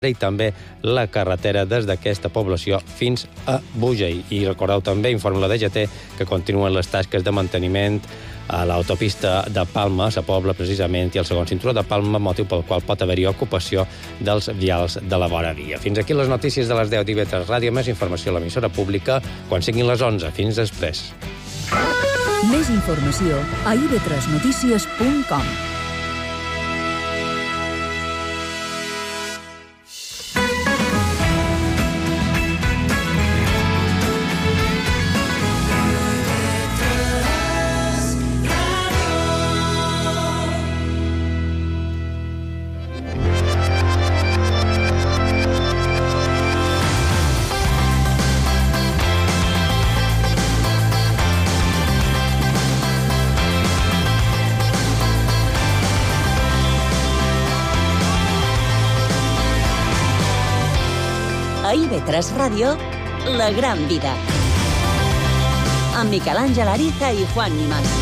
i també la carretera des d'aquesta població fins a Búger. I recordeu també, informa la DGT, que continuen les tasques de manteniment a l'autopista de Palma, a la Pobla, precisament, i el segon cinturó de Palma, motiu pel qual pot haver-hi ocupació dels vials de la vora via. Fins aquí les notícies de les 10 d'IV3 Ràdio. Més informació a l'emissora pública quan siguin les 11. Fins després. Més informació a ib3notícies.com. A IB3 Ràdio, La Gran Vida. Amb Miquel Àngel Ariza i Juan Nimas.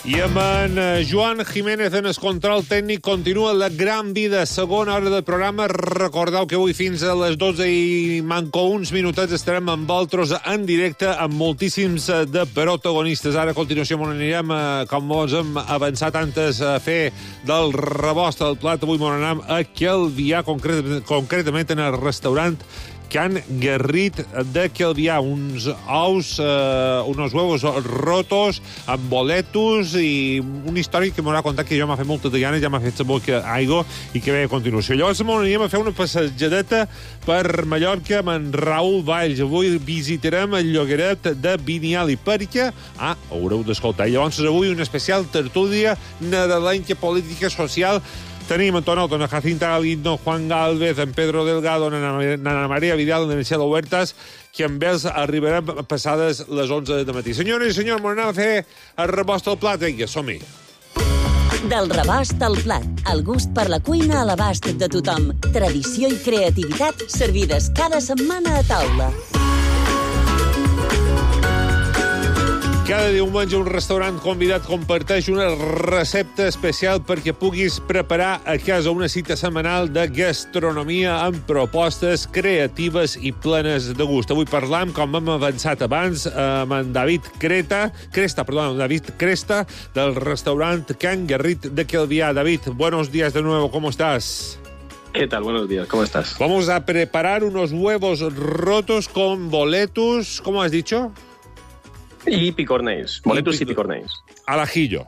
I amb en Joan Jiménez en el control tècnic continua La Gran Vida, segona hora del programa. Recordeu que avui fins a les 12 i manco uns minutets estarem amb vosaltres en directe amb moltíssims de protagonistes. Ara a continuació anirem, com us hem avançat antes, a fer del rebost al plat. Avui anem a Calvià, concretament en el restaurant Can Guerrit de Calvià, uns ous, unos huevos rotos amb boletos i una història que m'haurà contat que jo m'ha fet moltes de ganes, ja m'ha fet saber que aigua i que ve a continuació. Llavors anirem a fer una passejadeta per Mallorca amb en Raül Valls. Avui visitarem el llogaret de Biniali perquè, haureu d'escoltar. Llavors avui una especial tertúlia nadalenca política social. Tenim en Tonot, en Jacinta Galindo, Juan Galvez, en Pedro Delgado, en Ana Maria Vidal, en Michelle Huertas, que amb ells arribarem passades les 11 de matí. Senyores i senyors, m'anem a fer el rebost al plat. Vinga, som-hi. Del rebost al plat, el gust per la cuina a l'abast de tothom. Tradició i creativitat servides cada setmana a taula. Cada diumenge un restaurant convidat comparteix una recepta especial perquè puguis preparar a casa una cita setmanal de gastronomia amb propostes creatives i plenes de gust. Avui parlam, com hem avançat abans, amb en David Cresta, del restaurant Can Guerrit de Calvià. David, buenos días de nuevo, ¿cómo estás? ¿Qué tal? Buenos días, ¿cómo estás? Vamos a preparar unos huevos rotos con boletus, ¿cómo has dicho? Y picornés, boletus y picornés. Al ajillo.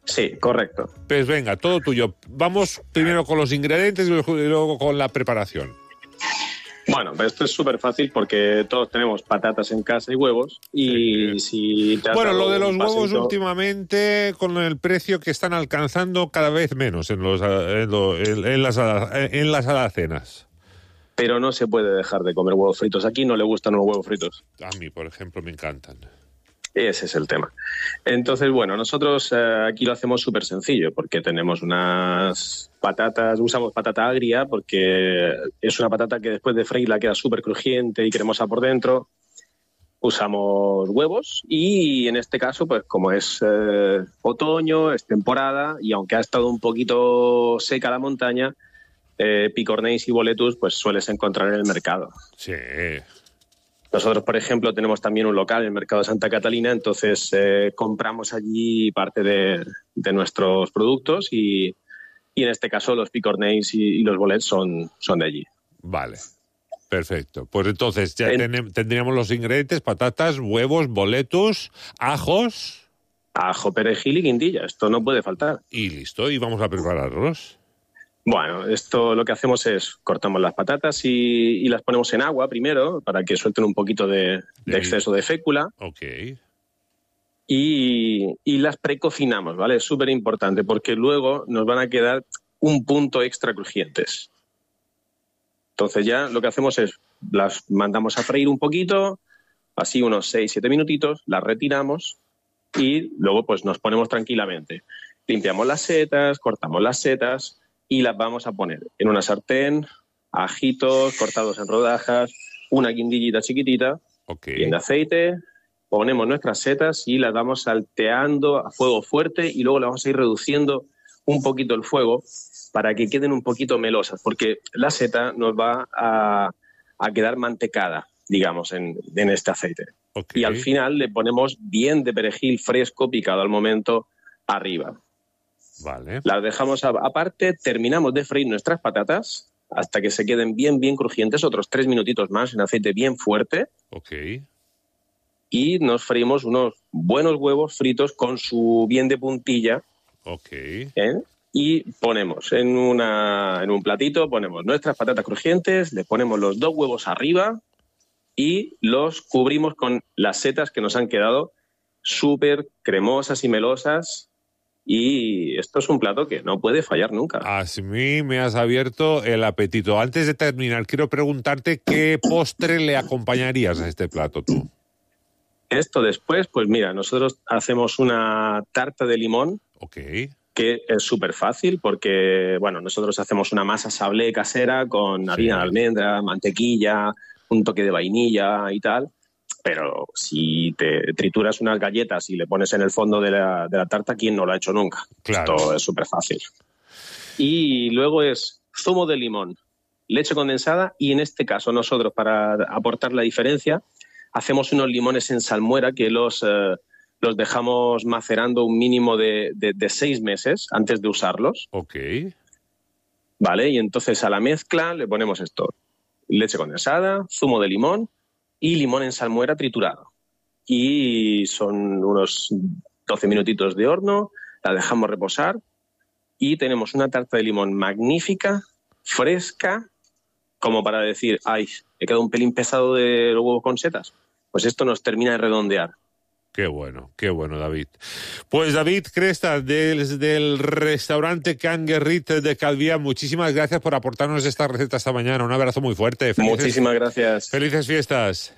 Sí, correcto. Pues venga, todo tuyo. Vamos primero con los ingredientes y luego con la preparación. Bueno, pues esto es súper fácil porque todos tenemos patatas en casa y huevos. Y si te has bueno, dado lo de los un huevos paseíto... últimamente, con el precio que están alcanzando cada vez menos en las alacenas. Pero no se puede dejar de comer huevos fritos. Aquí no le gustan los huevos fritos. A mí, por ejemplo, me encantan. Ese es el tema. Entonces, bueno, nosotros aquí lo hacemos súper sencillo porque tenemos unas patatas, usamos patata agria porque es una patata que después de freírla queda súper crujiente y cremosa por dentro. Usamos huevos y en este caso, pues como es otoño, es temporada y aunque ha estado un poquito seca la montaña, picornés y boletus pues sueles encontrar en el mercado. Sí. Nosotros, por ejemplo, tenemos también un local en el mercado de Santa Catalina, entonces compramos allí parte de nuestros productos y en este caso los picornés y los bolets son de allí. Vale, perfecto. Pues entonces ya tendríamos los ingredientes: patatas, huevos, boletus, ajos. Ajo, perejil y guindilla, esto no puede faltar. Y listo, y vamos a prepararlos. Bueno, esto lo que hacemos es cortamos las patatas y las ponemos en agua primero para que suelten un poquito de exceso de fécula. Ok. Y las precocinamos, ¿vale? Es súper importante porque luego nos van a quedar un punto extra crujientes. Entonces ya lo que hacemos es las mandamos a freír un poquito, así unos 6-7 minutitos, las retiramos y luego pues nos ponemos tranquilamente. Limpiamos las setas, cortamos las setas y las vamos a poner en una sartén, ajitos cortados en rodajas, una guindillita chiquitita, bien de aceite, ponemos nuestras setas y las vamos salteando a fuego fuerte y luego le vamos a ir reduciendo un poquito el fuego para que queden un poquito melosas, porque la seta nos va a quedar mantecada, digamos, en este aceite. Okay. Y al final le ponemos bien de perejil fresco picado al momento arriba. Vale. Las dejamos aparte, terminamos de freír nuestras patatas hasta que se queden bien, bien crujientes, otros 3 minutitos más en aceite bien fuerte. Ok. Y nos freímos unos buenos huevos fritos con su bien de puntilla. Ok. Y ponemos en un platito, ponemos nuestras patatas crujientes, le ponemos los 2 huevos arriba y los cubrimos con las setas que nos han quedado súper cremosas y melosas. Y esto es un plato que no puede fallar nunca. A mí me has abierto el apetito. Antes de terminar, quiero preguntarte qué postre le acompañarías a este plato tú. Esto después, pues mira, nosotros hacemos una tarta de limón. Ok. Que es súper fácil porque, bueno, nosotros hacemos una masa sablé casera con harina de almendra, mantequilla, un toque de vainilla y tal. Pero si te trituras unas galletas y le pones en el fondo de la tarta, ¿quién no lo ha hecho nunca? Claro. Esto es súper fácil. Y luego es zumo de limón, leche condensada y en este caso nosotros, para aportar la diferencia, hacemos unos limones en salmuera que los dejamos macerando un mínimo de 6 meses antes de usarlos. Ok. Vale, y entonces a la mezcla le ponemos esto: leche condensada, zumo de limón y limón en salmuera triturado. Y son unos 12 minutitos de horno, la dejamos reposar y tenemos una tarta de limón magnífica, fresca, como para decir, ay, he quedado un pelín pesado de los huevos con setas. Pues esto nos termina de redondear. Qué bueno, David. Pues David Cresta, desde el restaurante Can Guerrit de Calvià, muchísimas gracias por aportarnos esta receta esta mañana. Un abrazo muy fuerte. Muchísimas gracias. Felices fiestas.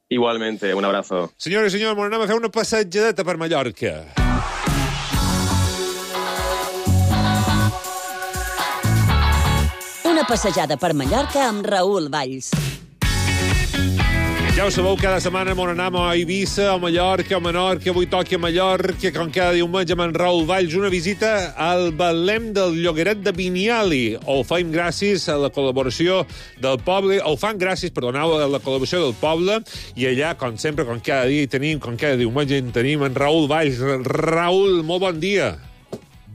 Igualmente, un abrazo. Senyores i senyors, anem a fer una passejadeta per Mallorca. Una passejada per Mallorca amb Raül Valls. Ja ho sabeu, cada setmana m'on anem a Eivissa, a Mallorca, a Menorca, avui toqui a Mallorca, com cada diumenge amb en Raül Valls, una visita al Betlem del Llogaret de Biniali. Ho fem gràcies a la col·laboració del poble, a la col·laboració del poble, i allà, com sempre, com cada dia tenim, com cada diumenge tenim en Raül Valls. Raül, molt bon dia.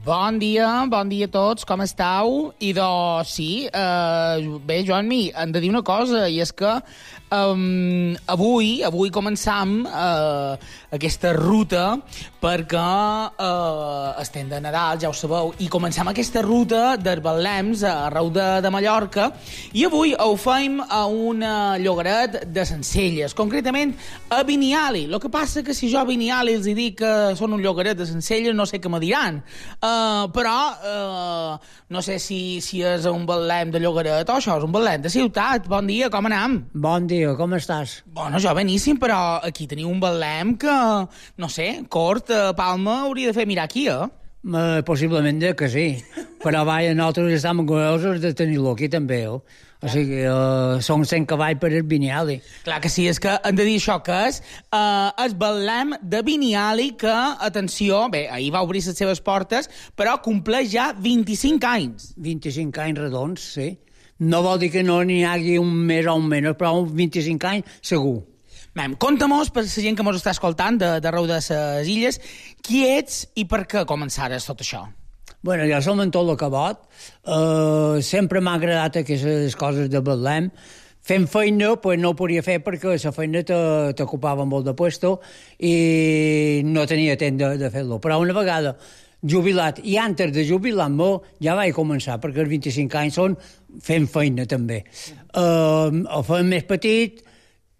Bon dia a tots, com esteu? I doncs sí, bé, Joan-Mi, hem de dir una cosa, i és que avui començam aquesta ruta perquè estem de Nadal, ja ho sabeu, i començam aquesta ruta dels Betlems arreu de Mallorca, i avui ho fem a un llogaret de Sencelles, concretament a Biniali. El que passa que si jo a Biniali els dic que són un llogaret de Sencelles, no sé què me diran. Però no sé si és un Betlem de Llogaret o això és un Betlem de ciutat. Bon dia, com anem? Bon dia, com estàs? Bueno, jo beníssim, però aquí teniu un Betlem que, no sé, Cort, Palma, hauria de fer mirar aquí, Possiblement que sí, però vaja, nosaltres estem orgullosos de tenir-lo aquí també, O sigui, són 100 cavalls per el Biniali. Clar que sí, és que hem de dir això que és el Betlem de Biniali que, atenció, bé, ahir va obrir les seves portes, però compleix ja 25 anys. 25 anys redons, sí. No vol dir que no n'hi hagi un més o un menys, però 25 anys segur. Mem, conta-mos, per la gent que mos està escoltant d'arreu de les illes, qui ets i per què començares tot això? Bueno, jo som en tot el cabot. Sempre m'ha agradat aquestes coses de Betlem. Fent feina, pues no ho podia fer perquè la feina t'ocupava molt de puesto i no tenia temps de fer-lo. Però una vegada jubilat, i antes de jubilar-me, ja vaig començar, perquè els 25 anys són fent feina també. Ho fem més petit,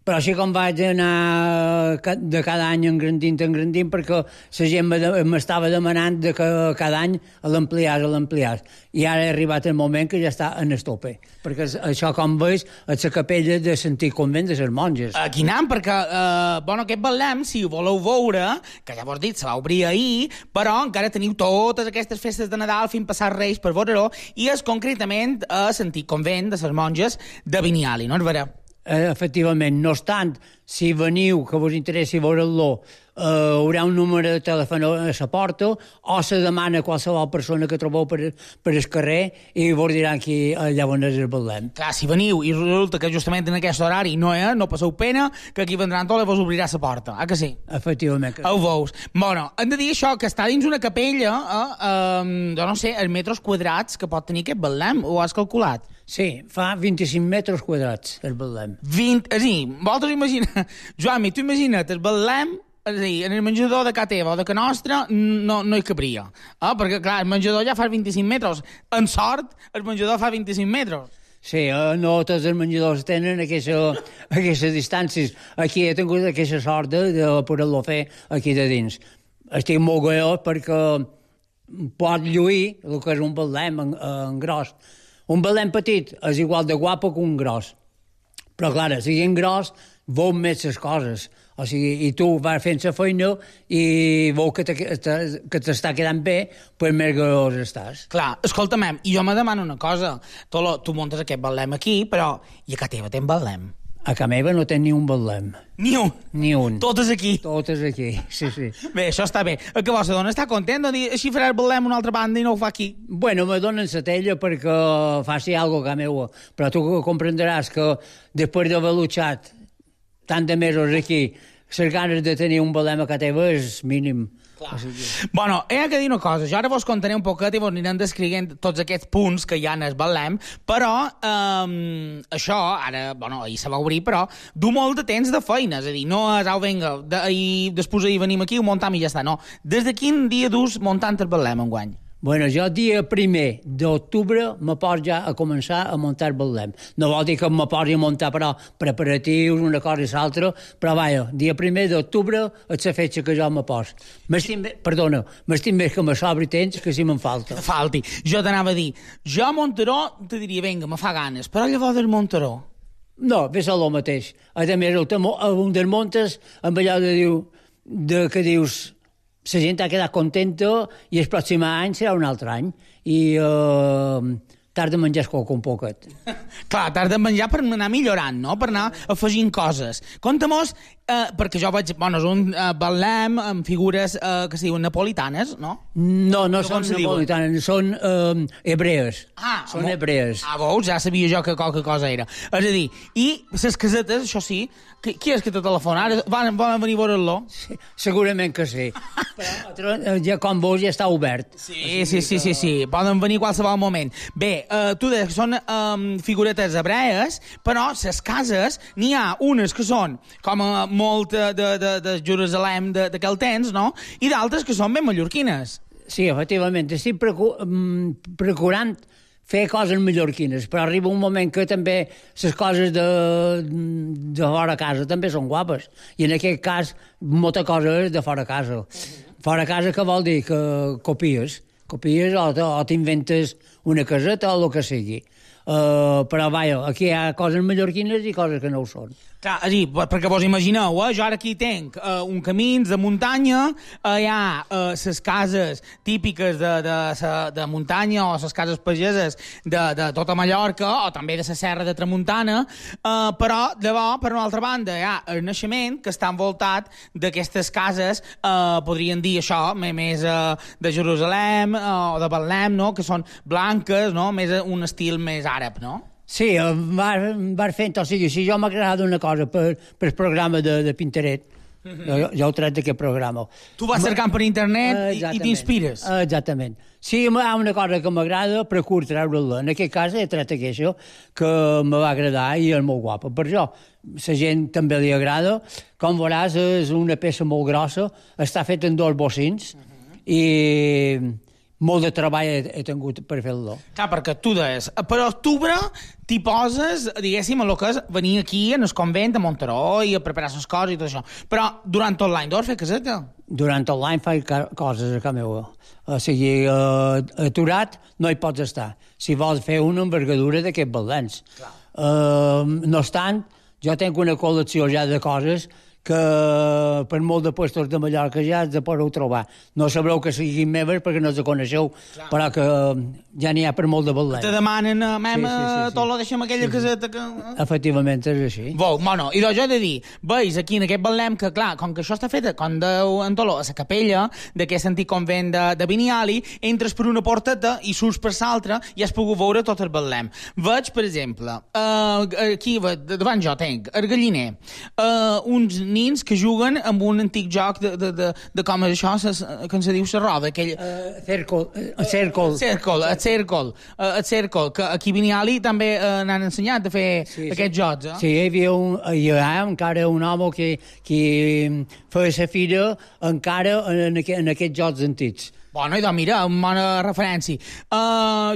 però així com vaig anar de cada any engrandint, perquè la gent m'estava demanant que cada any l'ampliàs. I ara ha arribat el moment que ja està en el tope. Perquè això, com veus, és la capella de l'antic convent de les monges. Aquí anem, perquè aquest Betlem, si ho voleu veure, que ja vos dit, se va obrir ahir, però encara teniu totes aquestes festes de Nadal fins passar Reis per veure-ho, i és concretament a l'antic convent de les monges de Biniali, no és vera? Efectivament, no obstant, si veniu, que vos interessi veure-lo, haurà un número de telèfon a la porta, o se demana a qualsevol persona que trobeu per el carrer i vos diran allà on és el Betlem. Clar, si veniu i resulta que justament en aquest horari no passeu pena, que aquí vendran tot i vos obrirà la porta, que sí? Efectivament. Ho veus. Bueno, hem de dir això, que està dins una capella, jo no sé, els metres quadrats que pot tenir aquest Betlem, ho has calculat? Sí, fa 25 metres quadrats, el Betlem. Vosaltres imagina... Joan, tu imagina't el Betlem, és a dir, en el menjador de casa teva o de casa nostra no hi cabria. Perquè, clar, el menjador ja fa 25 metres. En sort, el menjador fa 25 metres. Sí, no tots els menjadors tenen aquestes distàncies. Aquí he tingut aquesta sort de poder-lo fer aquí de dins. Estic molt goiós perquè pot lluir el que és un Betlem en gros. Un Betlem petit és igual de guapo que un gros. Però, clar, si en gros, veus més les coses. O sigui, i tu vas fent la feina i veus que t'està quedant bé, doncs més gros estàs. Clar, escolta'm, i jo me demano una cosa. Tu muntes aquest Betlem aquí, però i a casa teva tens Betlem? A casa meva no tens ni un Betlem. Ni un? Ni un. Totes aquí? Totes aquí, sí. Bé, això està bé. Que vostra dona està content de dir així farà el Betlem una altra banda i no ho fa aquí? Bueno, me donen la tella perquè faci alguna cosa a casa meva, però tu comprenderàs que després d'haver luchat tant de mesos aquí, les ganes de tenir un Betlem a casa teva és mínim. Bueno, he de dir una cosa. Jo ara vos contaré un poquet i vos anirem descrivint tots aquests punts que hi ha en el Betlem, però això, ara, ahir se va obrir, però du molt de temps de feina, és a dir, no és, vinga, i després ahir venim aquí, ho muntam i ja està, no. Des de quin dia dus muntant el Betlem enguany? Bueno, jo dia 1 d'octubre me poso ja a començar a muntar el Betlem. No vol dir que me posi a muntar, però preparatius, una cosa i l'altra, però vaja, dia 1 d'octubre és la fetge que jo me poso. M'estim més que me sobri temps que si me'n falta. Falti. Jo t'anava a dir, jo a Monteró te diria, vinga, me fa ganes, però llavors del Monteró... No, ves a lo mateix. A més, un dels montes, amb allò que dius... La gent ha quedat contenta i el pròxim any serà un altre any. I t'has de menjar un poquet. Clar, t'has de menjar per anar millorant, no? Per anar afegint coses. Conta-mos, perquè jo vaig... és un Betlem amb figures que es diuen napolitanes, no? No són napolitanes, són hebrees. Són hebrees. Veus? Ja sabia jo que qualque cosa era. És a dir, i les casetes, això sí, qui és que te telefona? Ara volen venir a veure-lo? Sí, segurament que sí. Però ja, com veus, ja està obert. Sí. Poden venir a qualsevol moment. Bé, tu deies que són figuretes hebrees, però les cases, n'hi ha unes que són com molt de Jerusalem d'aquell temps, no? I d'altres que són ben mallorquines. Sí, efectivament. Estic procurant fer coses mallorquines, però arriba un moment que també les coses de fora casa també són guapes. I en aquest cas, molta cosa és de fora casa. Fora casa que vol dir que copies o t'inventes una caseta o el que sigui. Però vaja, aquí hi ha coses mallorquines i coses que no ho són. Clar, és a dir, perquè vos imagineu, jo ara aquí tenc un camins de muntanya, hi ha les cases típiques de muntanya o les cases pageses de tota Mallorca o també de la serra de Tramuntana, però llavors, per una altra banda, hi ha el naixement que està envoltat d'aquestes cases, podríem dir això, més de Jerusalem o de Betlem, no? Que són blanques, no? Més un estil més àrab, no? Sí, vas fent, o sigui, si jo m'ha agradat una cosa per el programa de Pintaret, jo ho tret d'aquest programa. Tu vas cercant per internet i t'inspires. Exactament. Si hi ha una cosa que m'agrada, procuro treure-la. En aquest cas he tret aquesta que me va agradar i és molt guapa. Per això, la gent també li agrada. Com veuràs, és una peça molt grossa, està feta en 2 bocins i... molt de treball he tingut per fer-lo. Clar, perquè tu deies, per octubre t'hi poses, diguéssim, a lo que és venir aquí en el convent a Monteró i a preparar les coses i tot això. Però durant tot l'any deus fer caseta? Durant tot l'any faig coses a casa meva. O sigui, aturat no hi pots estar. Si vols fer una envergadura d'aquests Betlems. No obstant, jo tinc una col·lecció ja de coses que per molt de puestos de Mallorca ja els podeu trobar. No sabreu que siguin meves perquè no els coneixeu, però que ja n'hi ha per molt de Betlem. Te demanen, tot lo deixem aquella caseta que... Efectivament, és així. Bueno, i doncs jo he de dir, veus aquí en aquest Betlem que, clar, com que això està fet, com deu en Toló, a la capella d'aquest antic convent de Biniali, entres per una porteta i surts per l'altra i has pogut veure tot el Betlem. Veig, per exemple, aquí davant jo tenc el galliner, uns nins que juguen amb un antic joc de com és això, que se diu la roda, aquell... Cèrcol, que aquí a Biniali també n'han ensenyat a fer aquests jocs, eh? Sí, hi ha encara un home que feia la fira encara en aquests jocs antics. Bueno, i doncs mira, una bona referència.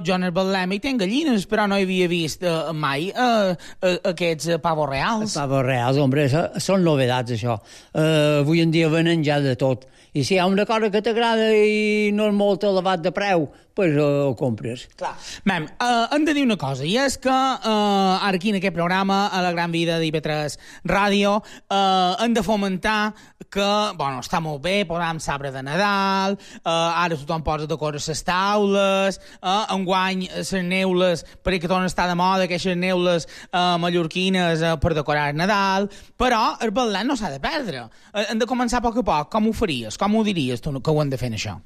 Jo en el Betlem hi tenc gallines, però no havia vist mai aquests pavos reals. Pavos reals, hombre, són novedats, això. Avui en dia venen ja de tot. I si hi ha una cosa que t'agrada i no és molt elevat de preu, doncs ho compres. Clar. Mem, hem de dir una cosa, i és que ara aquí en aquest programa, a la Gran Vida d'IV3 Ràdio, hem de fomentar que, bueno, està molt bé, posam sabre de Nadal, ara tothom posa de coses les taules, enguany les neules, perquè tornen a estar de moda aquestes neules mallorquines per decorar el Nadal, però el Betlem no s'ha de perdre. Hem de començar a poc. Com ho faries? Com ho diries tu que ho hem de fer, això?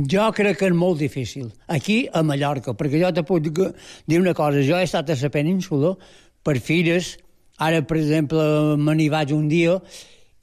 Jo crec que és molt difícil. Aquí, a Mallorca, perquè jo te puc dir una cosa. Jo he estat a la península per fires. Ara, per exemple, me n'hi vaig un dia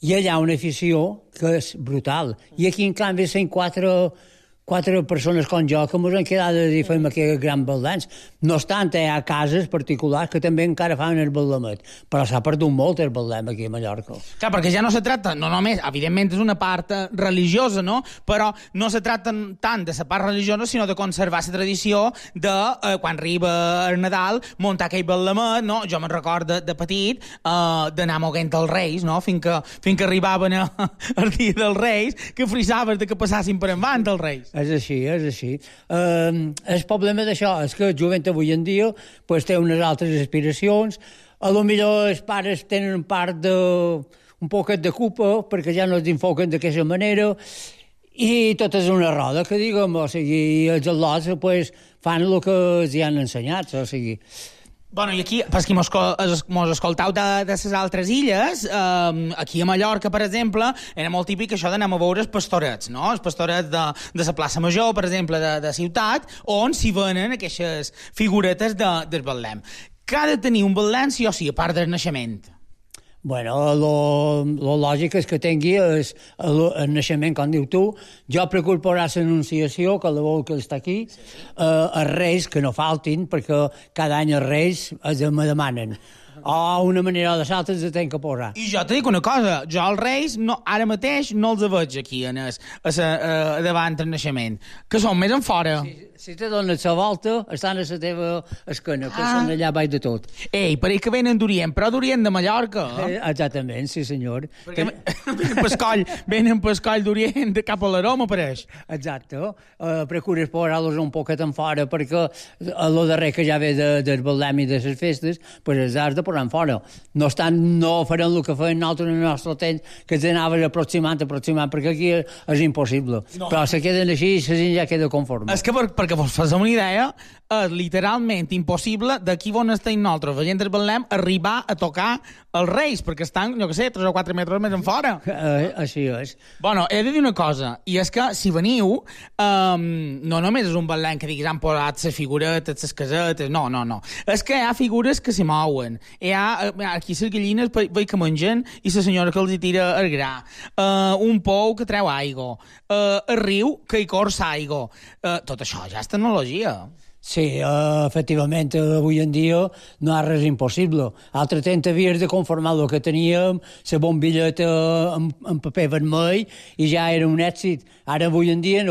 i allà una afició que és brutal. I aquí, en canvi, són quatre persones com jo que ens han quedat a dir fem aquests grans Betlems. No obstant, hi ha cases particulars que també encara fan el Betlemet, però s'ha perdut molt el Betlem aquí a Mallorca. Clar, perquè ja no se tracta, no només, evidentment és una part religiosa, no? Però no se tracta tant de la part religiosa, sinó de conservar la tradició de, quan arriba el Nadal, muntar aquell Betlemet, no? Jo me'n recordo de petit d'anar moguent els Reis, no? Fins que arribaven el dia dels Reis, que frisaves de que passassin per endavant els Reis. És així. El problema d'això és que el jovent avui en dia pues, té unes altres aspiracions. A lo millor els pares tenen un poquet de culpa perquè ja no es enfoquen d'aquesta manera i tot és una roda, que diguem, o sigui, els al·lots pues, fan el que els han ensenyat, o sigui... Bueno, i aquí, per qui mos escoltau de les altres illes, aquí a Mallorca, per exemple, era molt típic això d'anar a veure els pastorets, no? Els pastorets de la plaça Major, per exemple, de ciutat, on s'hi venen aquestes figuretes del Betlem. Que ha de tenir un Betlem sí o sí, a part del naixement? Bueno, lo lògic és que tingui el naixement, com diu tu. Jo procuro posar l'anunciació, que la vol que està aquí, els Reis, que no faltin, perquè cada any els Reis me demanen. Una manera o de l'altra els tenc que posar. I jo te dic una cosa, jo els Reis ara mateix no els veig aquí davant del naixement, que són més en fora. Si te dones la volta, estan a la teva esquena, que són allà baix de tot. Ei, pareix que venen d'Orient, però d'Orient de Mallorca. Exactament, sí senyor. Perquè venen pescoll d'Orient cap a l'Aroma, pareix. Exacte. Procures posar-los un poquet en fora, perquè el darrer que ja ve del Betlem i de les festes, pues els has de posar en fora. No obstant, no farem el que feien nosaltres en el nostre temps, que ens anaves aproximant, perquè aquí és impossible. No. Però se queden així i la gent ja queda conforme. És que perquè vos fas una idea, és literalment impossible d'aquí on estem nosaltres, veient el Betlem, arribar a tocar els Reis, perquè estan, jo què sé, 3 o 4 metres més en fora. Així és. Bueno, he de dir una cosa, i és que si veniu, no només és un Betlem que diguis han posat les figuretes, les casetes, no. És que hi ha figures que s'hi mouen. Hi ha aquí les gallines veig que mengen i la senyora que els hi tira el gra. Un pou que treu aigua. El riu que hi corsa aigua. Tot això ja és tecnologia. Sí, efectivament, avui en dia no hi ha res impossible. Altre temps havies de conformar el que teníem, la bombilleta en paper vermell, i ja era un èxit. Ara, avui en dia,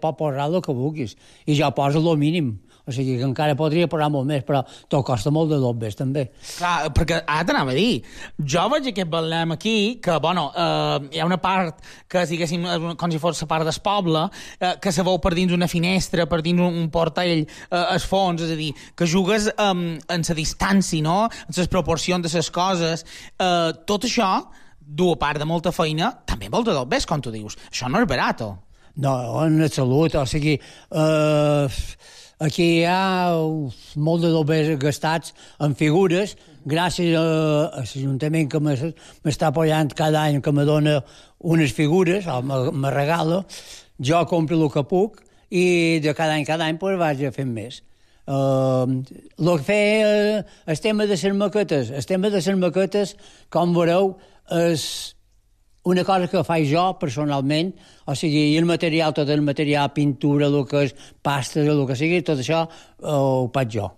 pot posar el que vulguis. I jo poso el mínim. O sigui que encara podria posar molt més, però tot costa molt de dobbes, també. Clar, perquè ara t'anava a dir, jo veig aquest Betlem aquí, que, bueno, hi ha una part que, diguéssim, com si fos la part del poble, que se veu per dins una finestra, per dins un portell, al fons, és a dir, que jugues en la distància, no?, en les proporcions de les coses. Tot això du a part de molta feina, també molta del bes, com tu dius. Això no és barat. No, en absolut, o sigui, aquí hi ha molt de dobbers gastats en figures, gràcies a l'Ajuntament que m'està apoyant cada any, que me dona unes figures, o me regala, jo compro el que puc i de cada any pues, vaig fent més. El que feia el tema de les maquetes, com veureu, és una cosa que faig jo personalment, o sigui, i tot el material, pintura, el que és pastes, el que sigui, tot això ho faig jo.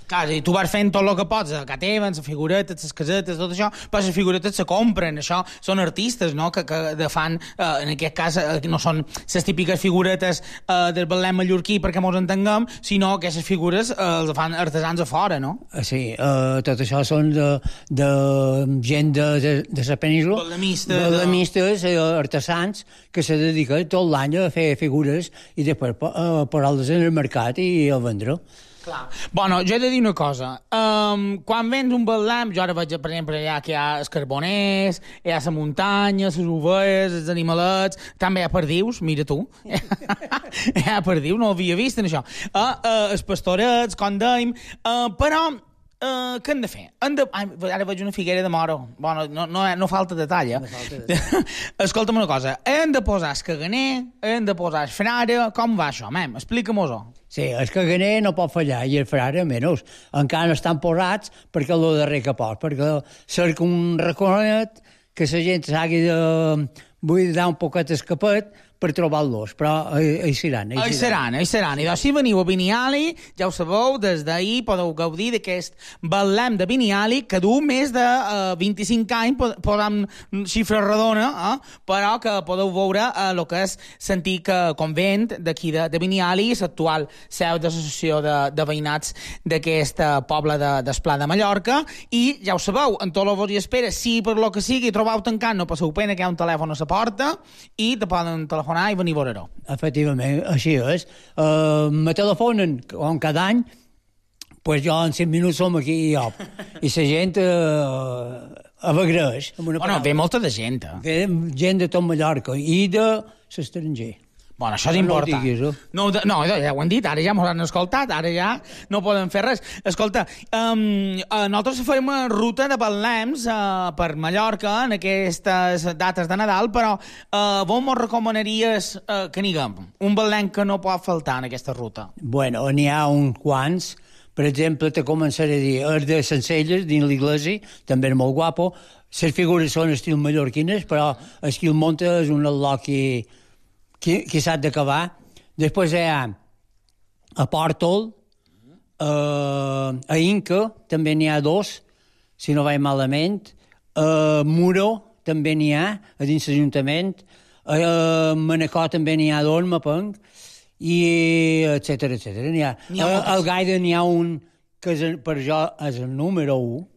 Clar, i tu vas fent tot el que pots, a Cateven, les figuretes, les casetes, tot això, però les figuretes se compren, això són artistes, no?, que fan, en aquest cas, no són les típiques figuretes del Betlem mallorquí perquè mos entenguem, sinó que aquestes figures les fan artesans a fora, no? Sí, tot això són de gent de la península, ballemistes, artesans, que se dediquen tot l'any a fer figures i després posar-les en el mercat i a vendre. Clar. Bueno, jo he de dir una cosa. Quan vens un Betlem, jo ara veig, per exemple, allà que hi ha els carboners, hi ha la muntanya, les ovelles, els animalets, també hi ha perdius, mira tu. Hi ha perdius, no ho havia vist, en això. Els pastorets, com dèiem, però què hem de fer? Ara veig una figuera de moro. Bueno, no falta detall, Escolta'm una cosa. Hem de posar el caganer, hem de posar el frare, com va això, mem? Explica-mos-ho. Sí, el caganer no pot fallar, i el frare menys. Encara no estan posats perquè el darrer que pot, perquè cerca un raconet que la gent s'hagi de buidar un poquet escapet per trobar-los, però hi seran. Hi seran. I doncs si veniu a Biniali, ja ho sabeu, des d'ahir podeu gaudir d'aquest Betlem de Biniali, que du més de 25 anys, posam xifra redona, però que podeu veure el que és l'antic convent d'aquí de Biniali, l'actual seu de l'associació de veïnats d'aquest poble d'Esplà de Mallorca, i ja ho sabeu, en tot el vos hi espera, si per lo que sigui trobeu tancat, no passeu pena, que hi ha un telèfon a la porta, i te poden telefonar i venir a veure-ho. Efectivament, així és. Me telefonen com cada any, pues jo en 5 minuts som aquí i jo. I la gent avagreix. Bueno, ve molta de gent. Ve gent de tot Mallorca i de l'estranger. Bueno, això és important. No, ja ho han dit, ara ja m'ho han escoltat, ara ja no poden fer res. Escolta, nosaltres farem una ruta de Betlems per Mallorca en aquestes dates de Nadal, però vos mos recomanaries que n'higuem un Betlem que no pot faltar en aquesta ruta? Bueno, n'hi ha uns quants. Per exemple, te començaré a dir, els de Sencelles, dins l'Iglesi, també és molt guapo. Les figures són estil mallorquines, però el que el munta és un al·loqui qui s'ha d'acabar. Després hi ha a Pòrtol, a Inca també n'hi ha 2, si no vaig malament, a Muro també n'hi ha, a dins l'Ajuntament, a Manacor també n'hi ha 2, m'apenc, i etcètera. Al Gaida n'hi ha un que per jo és el número 1.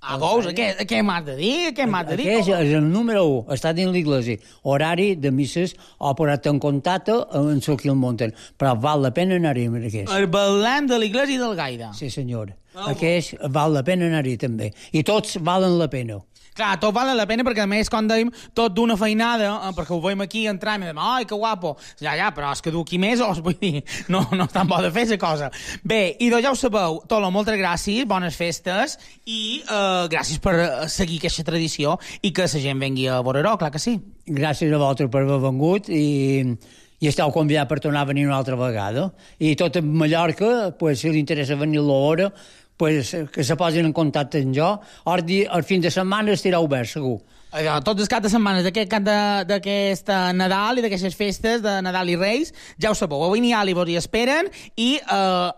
Veus? Què m'has de dir? Aquest és el número 1, està dins l'Iglesi. Horari de misses o posat en contacte amb el que el munten. Però val la pena anar-hi amb aquest. El Betlem de l'Iglesi del Gaida. Sí, senyor. Aquest val la pena anar-hi també. I tots valen la pena. Clar, tot val la pena perquè, a més, com dèiem, tot d'una feinada, perquè ho veiem aquí, entrem i dèiem, ai, que guapo. Ja, però és que du aquí mesos, vull dir, no és tan bo de fer la cosa. Bé, i doncs ja ho sabeu, Tolo, moltes gràcies, bones festes, i gràcies per seguir aquesta tradició i que la gent vengui a veure-ho, clar que sí. Gràcies a vosaltres per haver vengut i esteu convidats per tornar a venir una altra vegada. I tot a Mallorca, pues, si li interessa venir a l'hora, pues, que se posin en contacte amb jo. El fin de setmana estirà obert, segur. Tots els caps de setmana d'aquest Nadal i d'aquestes festes de Nadal i Reis, ja ho sabeu, a Biniali vos hi esperen i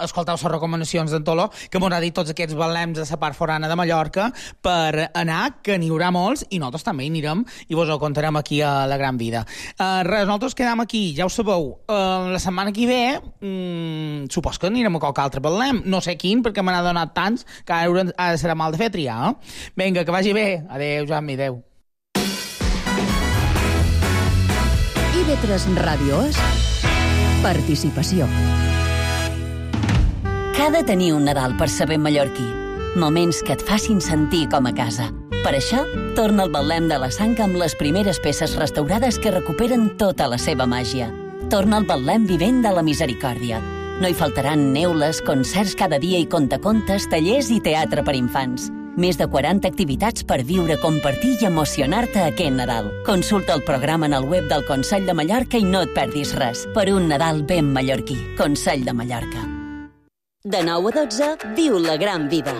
escolteu les recomanacions d'en Tolo, que m'ho ha dit tots aquests Betlems a la part forana de Mallorca per anar, que n'hi haurà molts, i nosaltres també hi anirem i vos ho contarem aquí a La Gran Vida. Res, nosaltres quedam aquí, ja ho sabeu, la setmana que ve supos que anirem a qualque altre Betlem, no sé quin, perquè me n'ha donat tants que ara serà mal de fer triar. Vinga, que vagi bé. Adéu, Joan, adéu. IB3 Ràdio és participació. Cada tenir un Nadal per saber mallorquí. Moments que et facin sentir com a casa. Per això, torna el Betlem de la Sang amb les primeres peces restaurades que recuperen tota la seva màgia. Torna el Betlem vivent de la misericòrdia. No hi faltaran neules, concerts cada dia i contacontes, tallers i teatre per infants. Més de 40 activitats per viure, compartir i emocionar-te aquest Nadal. Consulta el programa en el web del Consell de Mallorca i no et perdis res. Per un Nadal ben mallorquí. Consell de Mallorca. De 9 a 12, viu la gran vida.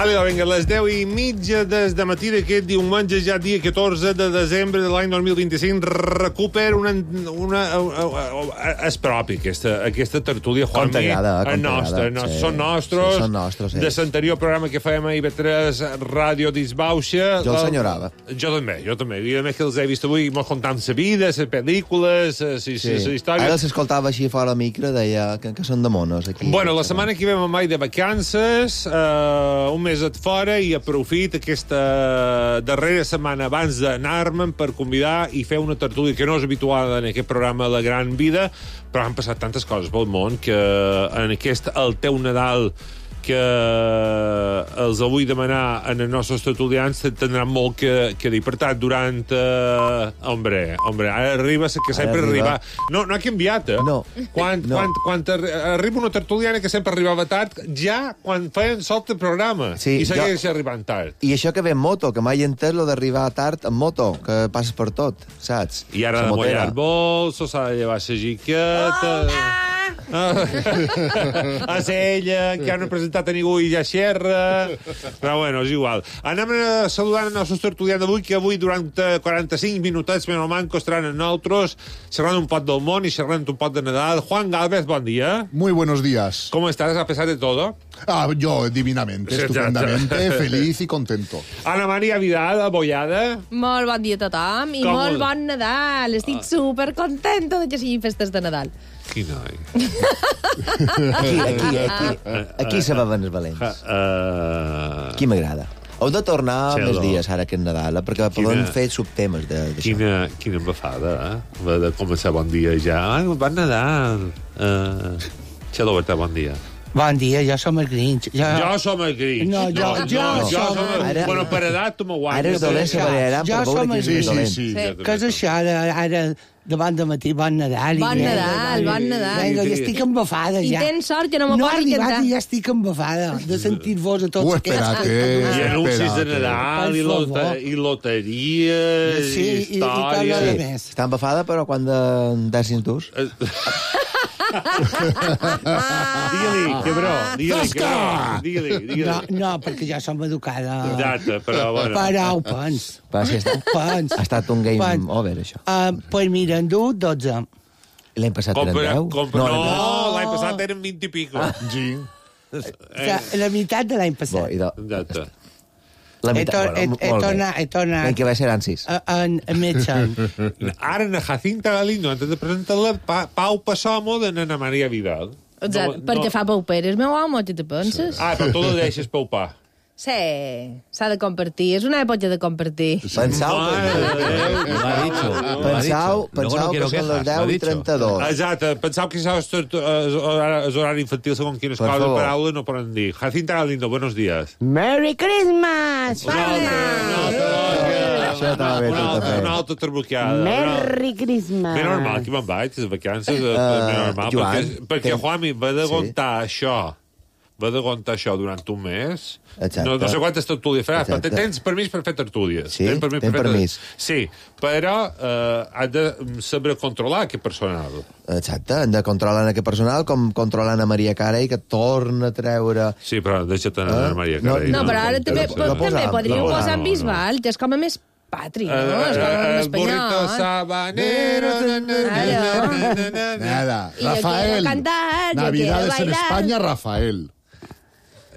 Vinga, a les 10:30 des de matí d'aquest diumenge, ja dia 14 de desembre de l'any 2025, recupera és propi, aquesta tertúlia, Juanmi. Com t'agrada. Són nostres. Són nostres, de l'anterior programa que fèiem a IB3 Ràdio Disbauxa. Jo el senyorava. Jo també. I a més que els he vist avui, molt contant la vida, les pel·lícules, les històries. Ara s'escoltava així fora micro, deia que són de monos, aquí. Bueno, la setmana que ve me'n vaig de vacances, un mes et fora, i aprofit aquesta darrera setmana abans d'anar-me'n per convidar i fer una tertúlia que no és habitual en aquest programa La Gran Vida, però han passat tantes coses pel món que en aquest El teu Nadal que els vull demanar en els nostres tertulians tindran molt que dir. Per tant, durant... Hombre, ara arriba que sempre arriba... No ha canviat, eh? No. Quan arriba una tertuliana que sempre arribava tard, ja quan feien solt el programa. Sí, I segueix arribant tard. I això que ve en moto, que mai he entès lo d'arribar tard en moto, que passes per tot, saps? I ara de mullar bolsos, s'ha de llevar la jiqueta... A ella, que no ha presentat a ningú i ja xerra. Però bueno, és igual. Anem saludant els nostres tertulians d'avui, que avui durant 45 minutets menys manco estaran en nosaltres, xerrant un pot del món i xerrant un pot de Nadal. Juan Galvez, bon dia. Muy buenos días. ¿Cómo estás a pesar de todo? Yo divinamente, estupendamente, feliz y contento. Ana Maria Vidal, abollada. Molt bon dia a tothom i molt bon Nadal. Estic supercontenta de que siguin festes de Nadal. Quin noi. Aquí se beven els valents. Aquí m'agrada. Heu de tornar més dies ara que és Nadal, perquè podem fer subtemes d'això. Quina embafada, eh? De començar bon dia ja. Bon Nadal. Xelo Berta, bon dia. Bon dia, jo som el Grinch. Jo som el Grinch. No, jo som el... Bueno, per edat tu m'ho guanyes. Ara és dolent la variarà per veure que és dolent. Sí. Què és això, ara davant de matí, bon Nadal. Bon Nadal. Vinga, ja estic embafada, ja. I tens sort que no m'ho pots cantar. No ha arribat i ja estic embafada de sentir-vos a tots aquests. I anuncis de Nadal, i loteries, i històries. Està embafada, però quan de dècims durs? Digue-li, quebró. Digue-li. No, perquè ja som educada. Exacte, però bueno. Però pens. Ha estat un game over, això. Pues mira, en du 12. L'any passat eren 10? No, l'any passat eren 20 i pico. La meitat de l'any passat. Exacte. La meitat, he tornat... L'any que va ser en 6. En Metxan. Ara, en Jacinta Galindo, antes de presentar-la, Pau Passomo de Ana Maria Vidal. Exacte, perquè fa pauperes, meu home, què te penses? Però tu la deixes paupar. Sí, s'ha de compartir. És una època de compartir. Pensau que són les 10 i 32. Exacte, pensau que és horari infantil segons quines coses de paraula no poden dir. Jacinta Galindo, buenos días. Merry Christmas! Una altra terbuqueada. Merry Christmas! Ben normal, aquí me'n vaig, les vacances. Ben normal, perquè Juanmi va de aguantar això. Va d'aguantar això durant un mes. No sé quantes tertúlies faràs, però tens permís per fer tertúlies. Sí, tens permís. Sí, però has de saber controlar aquest personal. Exacte, han de controlar aquest personal com controlant a Maria Carey, que torna a treure... Sí, però deixa't anar a Maria Carey. No, però ara també podríeu posar en Bisbal, que és com a més patri, no? És com en espanyol. Burrito sabanero... Nada, Rafael. Navidades en España, Rafael.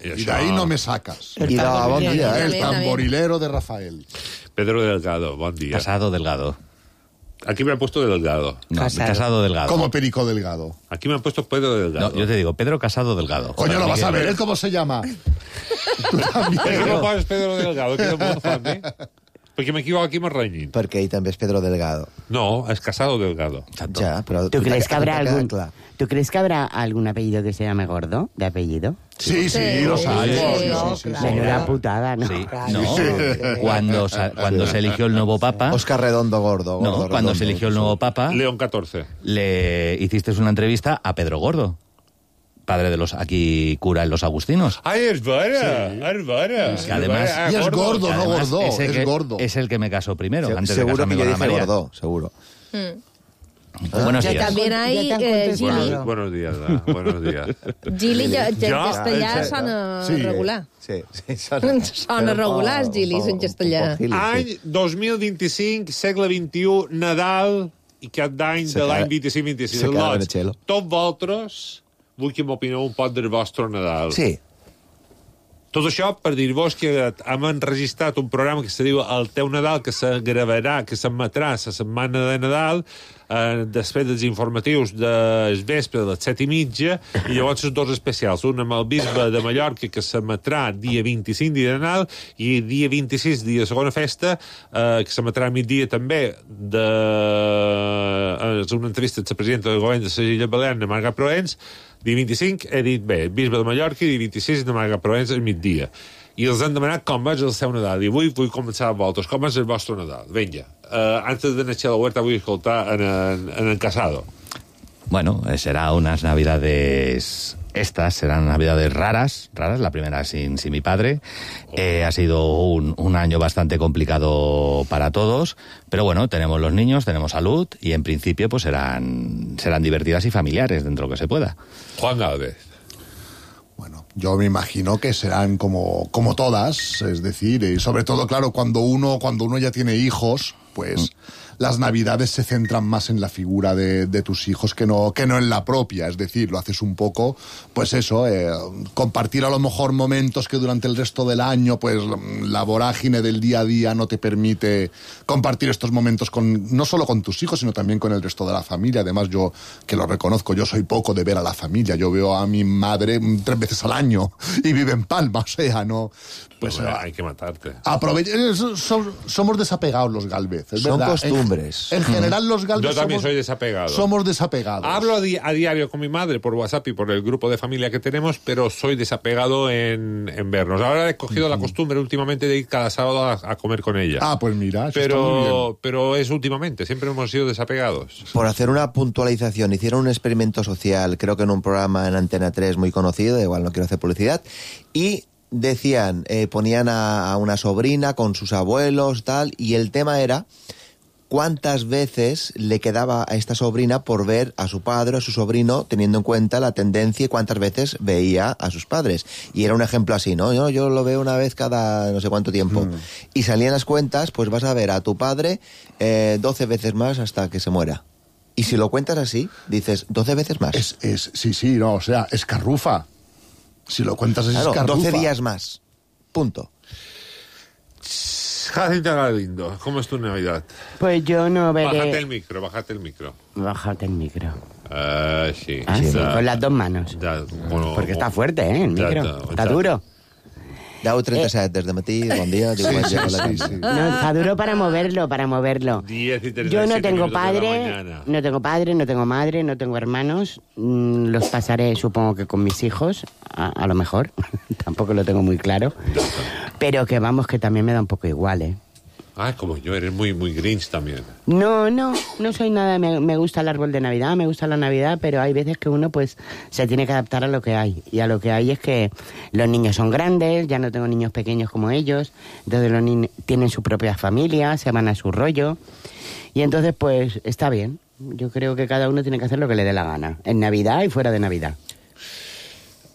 Y de ahí no me sacas. Y da bon dia, El tamborilero de Rafael. Pedro Delgado, bon dia. Casado Delgado. Aquí me han puesto Delgado. No, Casado Delgado. Como Perico Delgado. Aquí me han puesto Pedro Delgado. No, yo te digo, Pedro Casado Delgado. Coño, lo vas a ver, ¿él cómo se llama? Tú también. ¿Qué me pones Pedro Delgado? ¿Qué no puedo, Juanmi? Perquè m'equivoco aquí me renyin. Perquè ell també és Pedro Delgado. No, es Casado Delgado. Ya, pero ¿Tú crees que habrá algún apellido que se llame Gordo, de apellido? Sí, los hay. Menuda putada, ¿no? Sí. No, cuando se eligió el nuevo Papa... Oscar Redondo Gordo. No, cuando se eligió el nuevo Papa... León XIV. Le hiciste una entrevista a Pedro Gordo, padre de aquí cura en los agustinos. ¡Ay, es vera! Que además... Y es gordo, no gordo, es gordo. Es el que me casó primero, antes de seguro casarme que con yo Ana dije María. Gordo, seguro. Buenos días. También hay Gili. Buenos días, buenos días. Gili en castellà sona regular. Sí, Sona regular, Gilis, en castellà. Any 2025, segle XXI, Nadal i cap d'any de l'any 25-26. Tots vosaltres vull que m'opineu un poc del vostre Nadal. Sí. Tot això per dir-vos que hem enregistrat un programa que se diu El teu Nadal, que se gravarà, que s'emetrà la setmana de Nadal, després dels informatius del vespre de les 7:30, i llavors els dos especials, un amb el bisbe de Mallorca, que s'emetrà dia 25, dia de Nadal, i dia 26, dia de segona festa, que s'emetrà a migdia també, és una entrevista de la presidenta del govern de les Illes Balears, Marga Proens. Dia 25, he dit bé, bisbe de Mallorca, i dia 26 de Marga Proens al migdia. I els han demanat com és el seu Nadal. I avui vull començar amb vosaltres. Com és el vostre Nadal? Vinga. Antes de néixer la huerta vull escoltar en Casado. Bueno, será unas navidades... Estas serán navidades raras, la primera sin mi padre. Ha sido un año bastante complicado para todos, pero bueno, tenemos los niños, tenemos salud y en principio pues serán divertidas y familiares dentro de lo que se pueda. Juan Gálvez. Bueno, yo me imagino que serán como todas, es decir, y sobre todo, claro, cuando uno ya tiene hijos, pues... las navidades se centran más en la figura de tus hijos que no en la propia, es decir, lo haces un poco, pues eso, compartir a lo mejor momentos que durante el resto del año, pues la vorágine del día a día no te permite compartir estos momentos no solo con tus hijos, sino también con el resto de la familia. Además, yo, que lo reconozco, yo soy poco de ver a la familia, yo veo a mi madre 3 veces al año y vive en Palma, o sea, no... Pues hay que matarte. Somos desapegados los Gálvez, es Son verdad. Costumbres. En general los Gálvez Yo también soy desapegado. Somos desapegados. Hablo a diario con mi madre por WhatsApp y por el grupo de familia que tenemos, pero soy desapegado en vernos. Ahora he cogido la costumbre últimamente de ir cada sábado a comer con ella. Ah, pues mira, eso está muy bien. Pero es últimamente, siempre hemos sido desapegados. Por hacer una puntualización, hicieron un experimento social, creo que en un programa en Antena 3 muy conocido, igual no quiero hacer publicidad, y decían, ponían a una sobrina con sus abuelos, tal, y el tema era cuántas veces le quedaba a esta sobrina por ver a su padre o a su sobrino, teniendo en cuenta la tendencia y cuántas veces veía a sus padres. Y era un ejemplo así, ¿no? Yo lo veo una vez cada no sé cuánto tiempo. Y salían las cuentas, pues vas a ver a tu padre 12 veces más hasta que se muera. Y si lo cuentas así, dices 12 veces más. Sí, no, o sea, escarrufa. Si lo cuentas es escarrufa. 12 días más. Punto. Jacinta Galindo, ¿cómo es tu Navidad? Pues yo no veré... Bájate el micro. Bájate el micro. Sí. Sí, con las dos manos. Bueno, porque está fuerte, el micro. Está duro. 10:37 des de matí, bon dia. No, está duro para moverlo. 10:37 Yo no tengo padre, no tengo madre, no tengo hermanos. Los pasaré, supongo que con mis hijos, a lo mejor. Tampoco lo tengo muy claro. Pero que vamos, que también me da un poco igual, ¿eh? Ah, como yo, eres muy Grinch también. No soy nada, me gusta el árbol de Navidad, me gusta la Navidad, pero hay veces que uno pues se tiene que adaptar a lo que hay. Y a lo que hay es que los niños son grandes, ya no tengo niños pequeños como ellos, entonces los niños tienen su propia familia, se van a su rollo, y entonces pues está bien. Yo creo que cada uno tiene que hacer lo que le dé la gana, en Navidad y fuera de Navidad.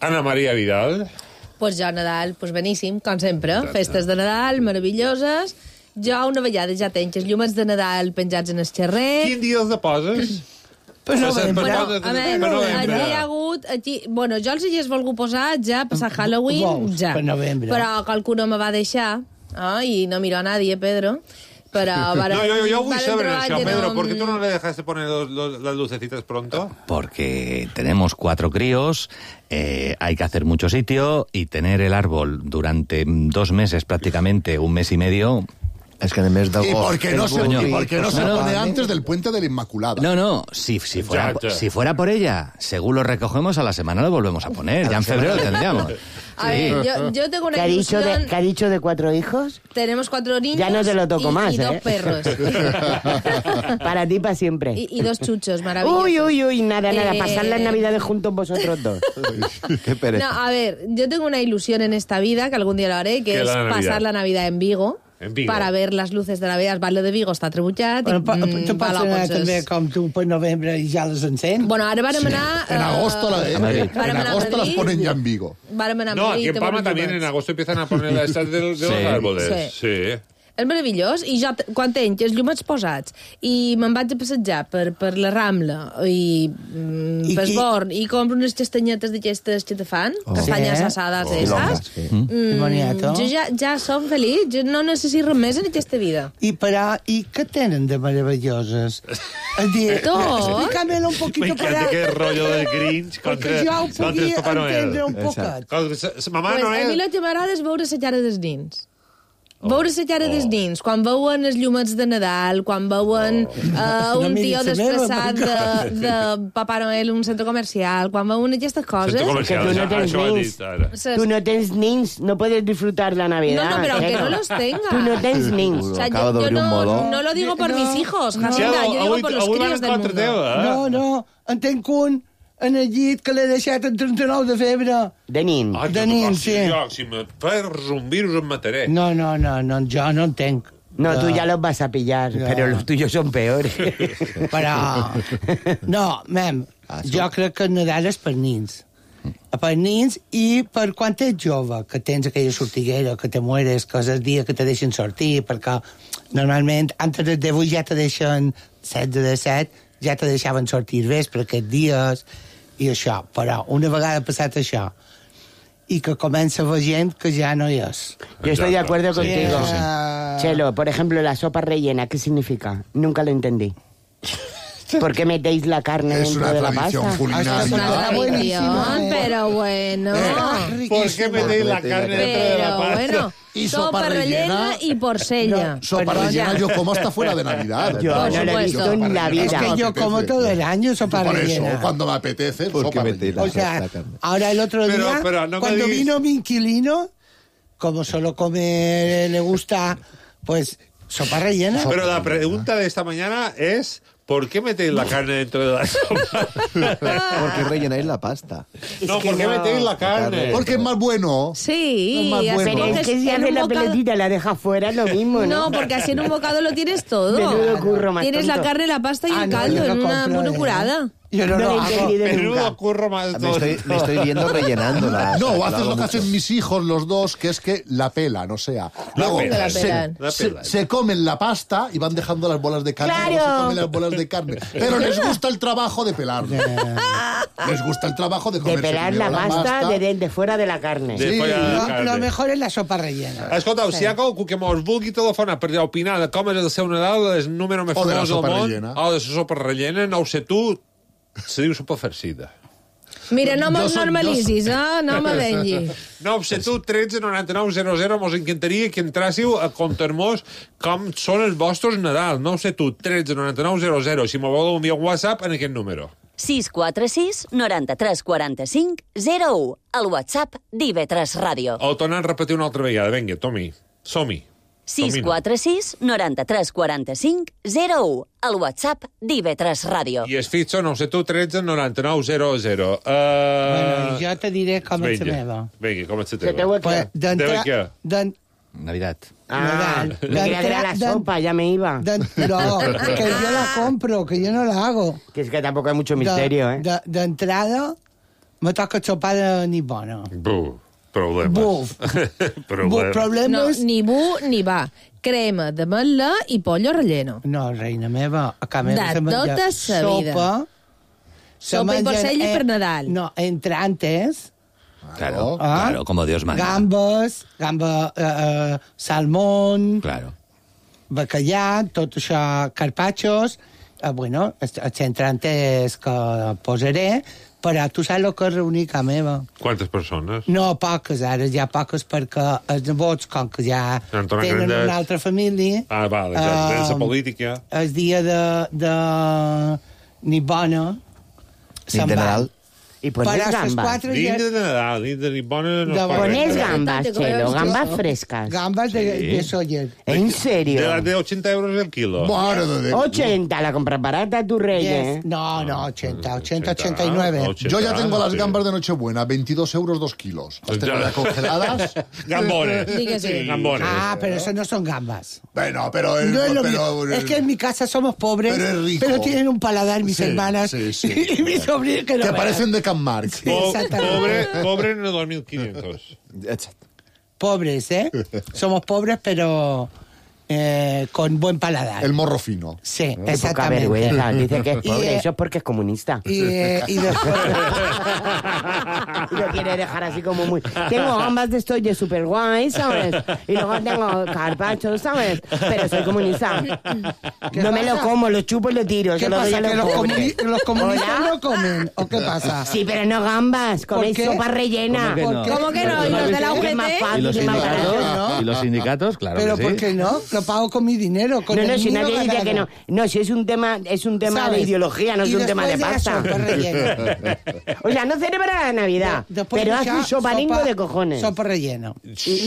Ana María Vidal. Pues jo, Nadal, pues beníssim, com sempre. Festes de Nadal, meravelloses. Jo una vegada ja tenc els llumets de Nadal penjats en el xerrer. Quin dia els deposes? Allí hi ha hagut... Bueno, jo els hi he volgut posar ja passar Halloween, ja. Però qualcuno me va deixar, i no miro a nadie, Pedro. Pero yo voy a saber eso, Pedro. ¿Por qué tú no le dejaste poner las lucecitas pronto? Porque tenemos 4 críos, hay que hacer mucho sitio y tener el árbol durante 2 meses, prácticamente 1 mes y medio... Es que en el mes de ¿Y agosto... por qué no se pone antes del puente de la Inmaculada? No, si fuera por ella, según lo recogemos a la semana lo volvemos a poner. Ya en febrero lo tendríamos. A ver, yo tengo una ilusión... ¿Qué ha dicho de 4 hijos? Tenemos 4 niños ya no te lo toco más, y 2 perros. Para ti, para siempre. Y 2 chuchos maravillosos. Uy, nada, pasar las Navidades juntos vosotros 2. Qué pereza. No, a ver, yo tengo una ilusión en esta vida, que algún día lo haré, que es pasar la Navidad en Vigo. Para ver les luces de Navidad. El Batlle de Vigo està trebutjat. Tu pots anar també com tu per novembre i ja les encén? Bueno, ara vàrem anar... En agosto las ponen ya en Vigo. Vàrem anar a No, Madrid. aquí en Palma también en agosto empiezan a poner las estas de los árboles. Sí. És meravellós, i jo, quan tenc els llumets posats i me'n vaig a passejar per la Rambla i per Born i compro unes castanyetes d'aquestes que te fan, castanyes assades esas, jo ja som feliç, jo no necessito res més en aquesta vida. I què tenen de meravelloses? Explícamelo un poquito para... Me encanta que rollo del Grinch contra el Papá Noel. Mamà Noel... A mi el que m'agrada és veure la cara dels nins. Veure la cara dels nins, quan veuen els llumets de Nadal, quan veuen un tio disfressat de Papà Noel en un centre comercial, quan veuen aquestes coses... Centre comercial, tu no tens nins, no puedes disfrutar la Navidad. No, pero aunque no los tenga. Tú no tens nins. O sea, yo no lo digo por mis hijos, Jacinta, yo digo por los críos del mundo. No, en tenc un en el llit que l'he deixat en 39 de febre. De nin. De nin, sí. Si me fas un virus em mataré. No, yo no tengo. No, tú ya los vas a pillar, pero los tuyos son peores. Però... No, jo crec que el Nadal és per nins. Per nins i per quan ets jove, que tens aquella sortiguera, que te mueres, que és el dia que te deixen sortir, perquè normalment antes de 8 ja te deixen 16 de 7, ja te deixaven sortir vespre aquests dies i això, però una vegada passat això y que comienza a ver gente que ya no es. Yo estoy de acuerdo contigo. Chelo, por ejemplo, la sopa rellena, ¿qué significa? Nunca lo entendí. ¿Por qué metéis la carne dentro de la pasta? Es una tradición, pero bueno. ¿Por qué metéis la carne dentro de la pasta? Bueno, y sopa rellena y porcella. No, sopa rellena yo como hasta fuera de Navidad. Yo no lo he visto en la vida. Es que yo como todo el año sopa rellena. Por eso, cuando me apetece, sopa rellena. O sea, ahora el otro día, cuando vino mi inquilino, como solo come, le gusta, pues, sopa rellena. Pero la pregunta de esta mañana es... ¿Por qué metéis la carne dentro de la sopa? Porque rellenáis la pasta. No, ¿por qué metéis la carne? Porque es más bueno. Sí, es más bueno. Pero es que si hace la pelotita y la deja fuera, lo mismo, ¿no? No, porque así en un bocado lo tienes todo. Menudo curro más tienes tonto. La carne, la pasta y el caldo en una curada. Yo no lo hago. Menudo curro más tonto. Me estoy viendo rellenándola. No, haces lo que hacen mis hijos, los dos, que es que la pelan, o sea. Luego se comen la pasta y van dejando las bolas de carne. ¡Claro! Luego se comen las bolas de carne. Pero les gusta el trabajo de pelarlo. Les gusta el trabajo de comerse pelar la pasta de fuera de la carne. Sí, lo mejor es la sopa rellena. Escoltau, si hi ha algú que mos vulgui telefonar per opinar de com és el seu Nadal, el número més famós del món, o de la sopa rellena, no ho sé tu, se diu sopa farcida. Mira, no me'ls normalitzis, no me vengui. No ho sé tu, 13 99 00, mos encantaria que entrássiu a contar-nos com són els vostres Nadal. No ho sé tu, 13 99 00, si m'ho voleu enviar un WhatsApp en aquest número. 646 93 45 01. El WhatsApp d'IV3 Ràdio. El tornem a repetir una altra vegada. Vinga, Tomi, som-hi. 646 93 45 01. El WhatsApp d'IV3 Ràdio. I es fitxa, no sé tu, 13 99 00. Bueno, jo te diré com és la meva. Vinga, com és la teva? Pues, Navidad. Me quedaría la sopa, ya me iba. No, que yo la compro, que yo no la hago. Que es que tampoco hay mucho misterio, ¿eh? De entrada, me toca sopa de ni bona. Problemes. Problemes. No, ni bu ni va. Crema d'ametla i pollo relleno. No, reina meva. A casa meva de tota sa vida. Sopa i porcella per Nadal. No, entrantes. Claro, claro, como Dios manda. Gamba, salmón, claro. bacallà, tot això, carpachos, Bueno, el centrant és que posaré, però tu saps el que és reunir a meva. Quantes persones? No, poques, ara ja poques, perquè els nebots, com que ja tenen una altra família... Vale, ja tens la política. El dia de Nibona... Nit de Nadal. Y pones gambas. Nit de Nadal, nit de Nibona... Pones gambas, Chelo, gambas frescas. Gambas de Soller. ¿En serio? De las de 80 euros el kilo. 80, la compras barata tu Reyes. No, 80, 89. Yo ya tengo las gambas de Nochebuena, 22 euros 2 kilos. Las tengo ya congeladas. Gambones. Sí, gambones. Ah, pero eso no son gambas. Bueno, pero... No es lo mismo. Es que en mi casa somos pobres, pero tienen un paladar mis hermanas y mis sobrinos que no que veas. parecen de Can Marc. Pobre en el 2500. Pobres, ¿eh? Somos pobres, pero con buen paladar. El morro fino. Sí, Poca exactamente. vergüenza. Dice que es pobre, eso es porque es comunista. Y después... Y lo quiere dejar así como muy... Tengo gambas de estos de super guay, ¿sabes? Y luego tengo carpaccio, ¿sabes? Pero soy comunista. No me lo como, lo chupo y lo tiro. ¿Qué pasa? ¿Que los comunistas no comen? ¿O qué pasa? Sí, pero no gambas. Coméis sopa rellena. ¿Cómo que no? ¿Y los de la UGT? Es más ¿Y fácil, los es más sindicatos? barato. ¿Y los sindicatos? Claro ¿Pero que sí. por qué no? Lo pago con mi dinero. Con No, el si mío nadie dice ganado. que no. No, si es un tema ¿Sabes? de ideología, no es Y un tema de después pasta. sopa rellena. O sea, no celebra la Navidad, Después pero de hace un soparingo de cojones. Sopa relleno.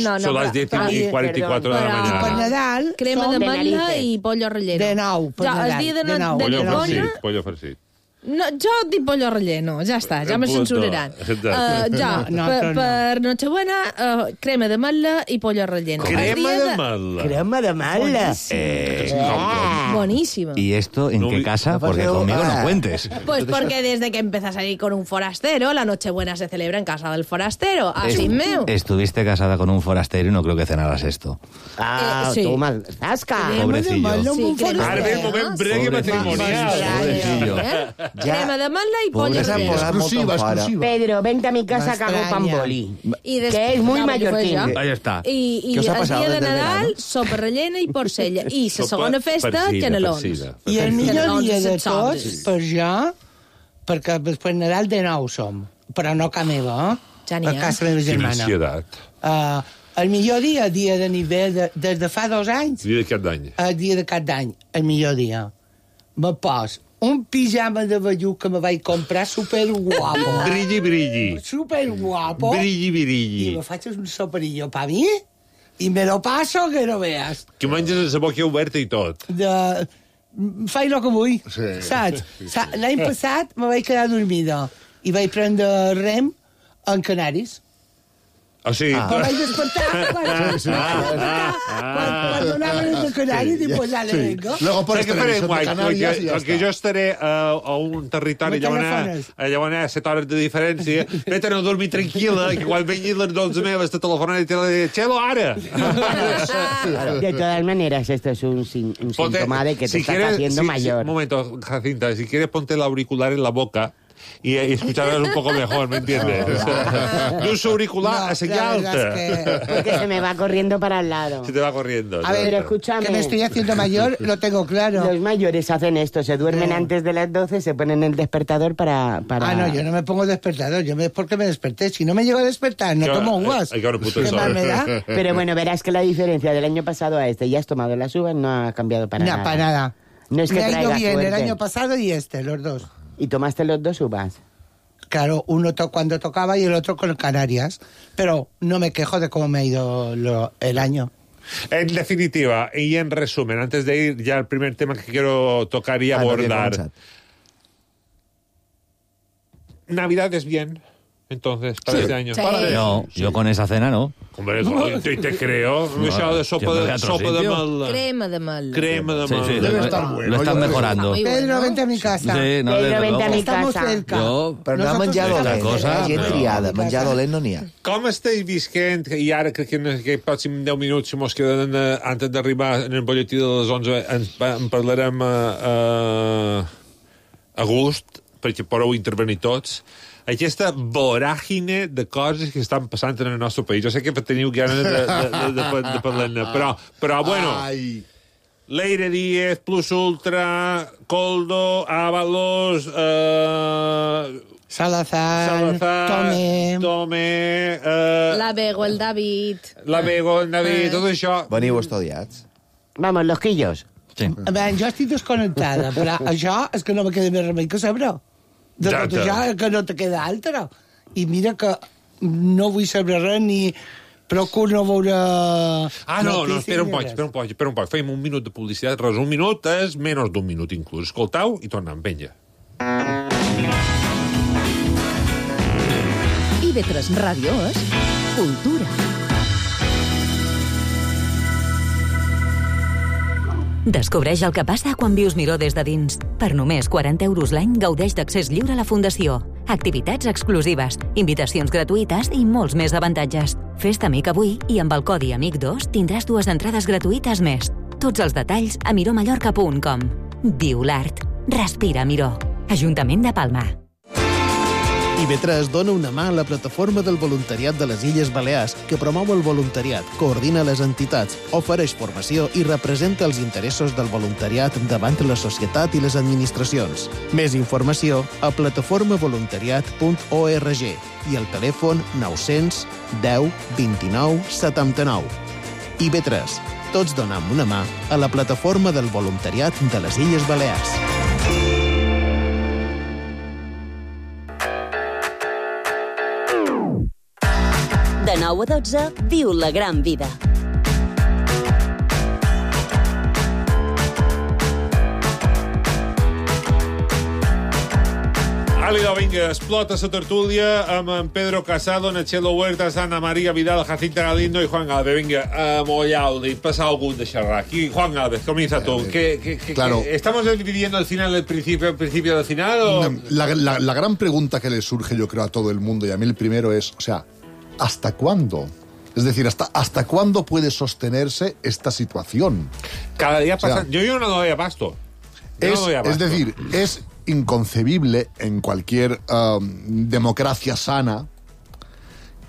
No, Son las 10 y 44 de la Però- Per mañana. Nadal... Crema som de ametlla narices. i pollo relleno. De nou, per Ja, el Nadal, dia de de nou. Pollo Nibona... farcit, pollo farcit. No, jo dic pollo relleno, ja està, ja me Punto. censuraran. Exacte. Per Nochebuena, crema de ametlla i pollo relleno. Crema de ametlla. Crema de ametlla. Buenísima. ¿Y esto en qué casa? Porque conmigo no cuentes. Pues porque desde que empieza a salir con un forastero, la Nochebuena se celebra en casa del forastero. Así meu. Estuviste casada con un forastero y no creo que cenaras esto. Ah, sí. toma, zasca. Pobrecillo. Sí, crema Ara ve el moment bregue matrimonial. Pobrecillo. Crema de ametlla y pollo Pobres relleno. Exclusiva. Pedro, vente a mi casa Me que hago pan extraña. boli. Y Que es muy ya, porque mallorquín. fue ya. Ahí está. I Què us ha el passat dia de des del Nadal, verano? sopa rellena i porcella. I la segona festa, farcida, canelons. farcida. I el millor Canelons dia de sense tots, sobres. per jo, perquè després Nadal de nou som, però no a meva, Ja n'hi a ha. casa meva Quina germana. ansietat. El millor dia de nivell, des de fa 2 anys, Dia de cap d'any. el dia de cap d'any, el millor dia. Me pos un pijama de vellut que me vaig comprar superguapo. Brilli, brilli. Superguapo. Brilli, I brilli. me faig un soperillo pa mi i me lo paso que no veas. Que menges amb la boca oberta i tot. Faig el que vull, Sí. saps? L'any passat me vaig quedar dormida i vaig prendre rem en Canaris. O sigui, Me vaig despertar quan donaven de Canaris i pues ja le vengo. Luego por Saps què faré televisión de guai? Canarias y ya Perquè jo está. estaré a un territori No allà on hi ha 7 hores de diferència, vete a no dormir tranquil·la, que quan vengin les 12 meves te telefonen i te la diuen, Chelo, ara! De todas maneras, esto es un síntoma de que te estás haciendo mayor. Un momento, Jacinta, si quieres ponte el auricular en la boca y escucharás un poco mejor, ¿me entiendes? De un auricular a señal alta. Porque se me va corriendo para el lado. Se te va corriendo. A ver, Pero escúchame. que me estoy haciendo mayor, lo tengo claro. Los mayores hacen esto, se duermen antes de las 12, se ponen el despertador para... Ah, no, yo no me pongo despertador, yo me porque me desperté. Si no me llego a despertar, no tomo uvas. Hay que ahora puto ¿Qué sol. más me da? Pero bueno, verás que la diferencia del año pasado a este, ya has tomado las uvas, no ha cambiado para No, nada. para nada. No es que me ha ido traiga bien el suerte. año pasado y los dos. ¿Y tomaste los 2 uvas? Claro, uno cuando tocaba y el otro con Canarias. Pero no me quejo de cómo me ha ido el año. En definitiva, y en resumen, antes de ir ya al primer tema que quiero tocar y no había abordar. comenzado. Navidad es bien, entonces, para este año. Sí. No, yo con esa cena no. Hombre, te creo. Me he echado de sopa yo me voy de a otro sopa de sitio. mal. Crema de ametlla. Crema de Sí, mal. sí, Debe lo- estar bueno, lo están yo creo. mejorando. Muy Pedro, bueno. vente a mi casa. Sí, no, Pedro, desde vente a luego. mi Estamos casa. cerca. Jo- Però no ha Nosotros menjat estamos dolent, cosa, la gent però- triada, menjar dolent no n'hi ha. Com esteu visquent, i ara crec que en aquests pròxims 10 minuts, si mos queden antes d'arribar en el bolletí de les 11, en parlarem a gust, perquè podeu intervenir tots, aquesta voràgine de coses que estan passant en el nostre país. Jo sé que teniu ganes de parlar-ne, però bueno, Ai, Leire Díez, Plus Ultra, Coldo, Ábalos... Salazar, Tomé... La Bego, el David... Tot això... Veniu estudiats. Vamos, los quillos. Sí. Jo estic desconnectada, però això és que no me queda més remei que saber-ho. De tot això que no te queda altre. I mira que no vull saber res ni procuro no veure... espera un poc. Fem un minut de publicitat. Res, un minut és menys d'un minut, inclús. Escoltau i tornem, vinga. IB3 Ràdio és cultura. Descobreix el que passa quan vius Miró des de dins. Per només 40 euros l'any gaudeix d'accés lliure a la Fundació. Activitats exclusives, invitacions gratuïtes i molts més avantatges. Fes-te amic avui i amb el codi AMIC2 tindràs 2 entrades gratuïtes més. Tots els detalls a miromallorca.com. Viu l'art. Respira Miró. Ajuntament de Palma. IB3 dona una mà a la plataforma del voluntariat de les Illes Balears, que promou el voluntariat, coordina les entitats, ofereix formació i representa els interessos del voluntariat davant la societat i les administracions. Més informació a plataformavoluntariat.org i al telèfon 900 10 29 79. IB3. Tots donem una mà a la plataforma del voluntariat de les Illes Balears. De 9 a 12, viu la gran vida. Àliga, vinga, explota la tertúlia amb en Pedro Casado, Nachelo Huertas, Ana María Vidal, Jacinta Galindo y Juan Galvez. Venga, Mollaudi, pasa algún de charrar. Aquí, Juan Galvez, comienza tú. Claro. ¿Estamos dividiendo el final del principio, el principio del final? ¿O? La gran pregunta que le surge, yo creo, a todo el mundo, y a mí el primero es, o sea, ¿hasta cuándo? Es decir, ¿hasta cuándo puede sostenerse esta situación? Cada día pasa... Yo no doy abasto. Es decir, es inconcebible en cualquier democracia sana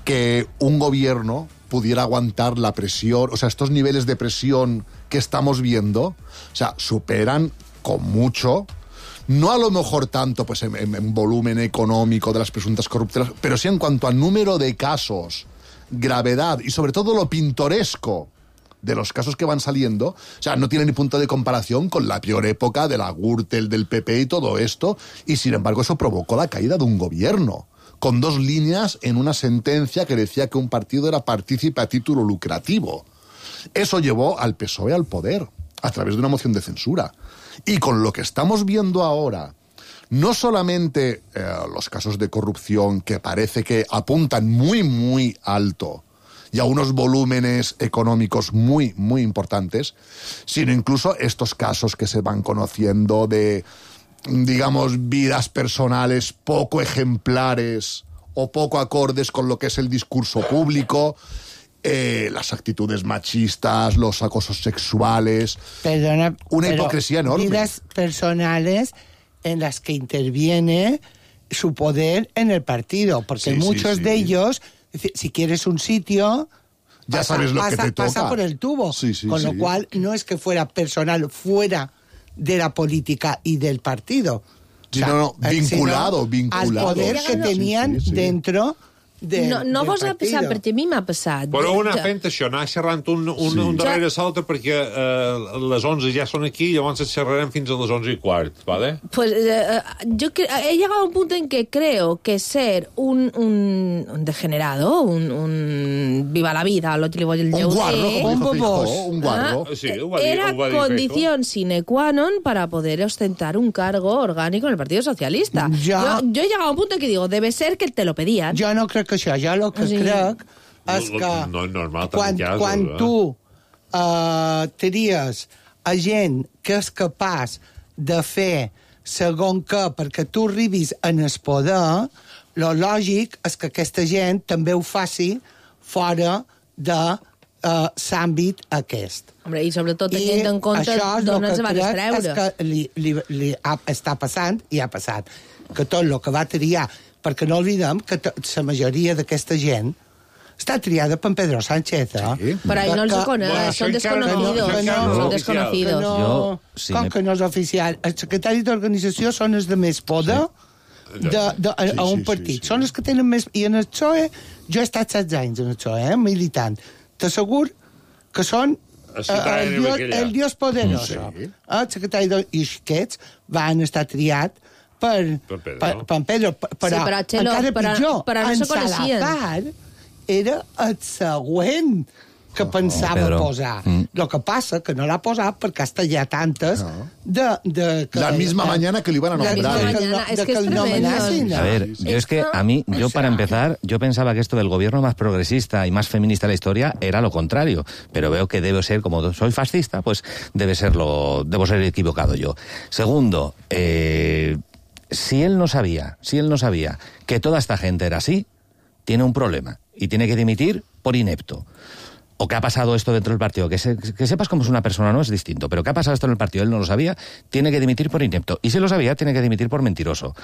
que un gobierno pudiera aguantar la presión, o sea, estos niveles de presión que estamos viendo, o sea, superan con mucho, no a lo mejor tanto pues en volumen económico de las presuntas corruptelas, pero sí en cuanto al número de casos, gravedad y sobre todo lo pintoresco de los casos que van saliendo, o sea, no tiene ni punto de comparación con la peor época de la Gürtel, del PP y todo esto, y sin embargo eso provocó la caída de un gobierno, con 2 líneas en una sentencia que decía que un partido era partícipe a título lucrativo. Eso llevó al PSOE al poder, a través de una moción de censura. Y con lo que estamos viendo ahora, no solamente los casos de corrupción que parece que apuntan muy, muy alto, y a unos volúmenes económicos muy, muy importantes, sino incluso estos casos que se van conociendo de, digamos, vidas personales poco ejemplares o poco acordes con lo que es el discurso público, las actitudes machistas, los acosos sexuales, una hipocresía enorme. Vidas personales en las que interviene su poder en el partido, porque muchos de ellos... Si quieres un sitio, ya sabes lo que te toca. Pasa por el tubo. Con lo cual, no es que fuera personal fuera de la política y del partido. Vinculado. Al poder que tenían dentro No vos ha passat, perquè a mi m'ha passat. Però una fent això, anar xerrant un darrere l'altre, perquè les 11 ja són aquí, llavors xerrarem fins a les 11:15, ¿vale? Pues yo he llegado a un punto en que creo que ser un degenerado, un viva la vida, lo que le voy a decir, un guarro, era condición sine qua non para poder ostentar un cargo orgánico en el Partido Socialista. Yo he llegado a un punto en que digo, debe ser que te lo pedían. Yo no crec que això, jo el que crec és que quan tu tries a gent que és capaç de fer segon que perquè tu arribis en el poder, lo lògic és que aquesta gent també ho faci fora de l'àmbit aquest. Hombre, i sobretot tenint en compte d'on ens va distreure. És que li està passant i ha passat. Que tot el que va triar... Perquè no oblidem que la majoria d'aquesta gent està triada per Pedro Sánchez, Sí. Però ahí no els coneix, són desconocidos. Com que no és oficial? El secretari d'organització són els de més poder a un partit. Són els que tenen més... I en el PSOE, jo he estat 16 anys en el PSOE, militant. T'assegur que són el dios poderoso. El secretari i aquests van estar triats per Pedro. Però encara pitjor, en Salazar era el següent que pensava posar. Lo que passa que no l'ha posat perquè hasta hi ha tantes la misma mañana que li van a nombrar. A ver, yo para empezar, yo pensaba que esto del gobierno más progresista y más feminista de la historia era lo contrario, pero veo que debe ser, como soy fascista, pues debo ser equivocado yo. Segundo, si él no sabía que toda esta gente era así, tiene un problema y tiene que dimitir por inepto. O que ha pasado esto dentro del partido, que sepas cómo es una persona no es distinto, pero que ha pasado esto en el partido, él no lo sabía, tiene que dimitir por inepto. Y si lo sabía, tiene que dimitir por mentiroso.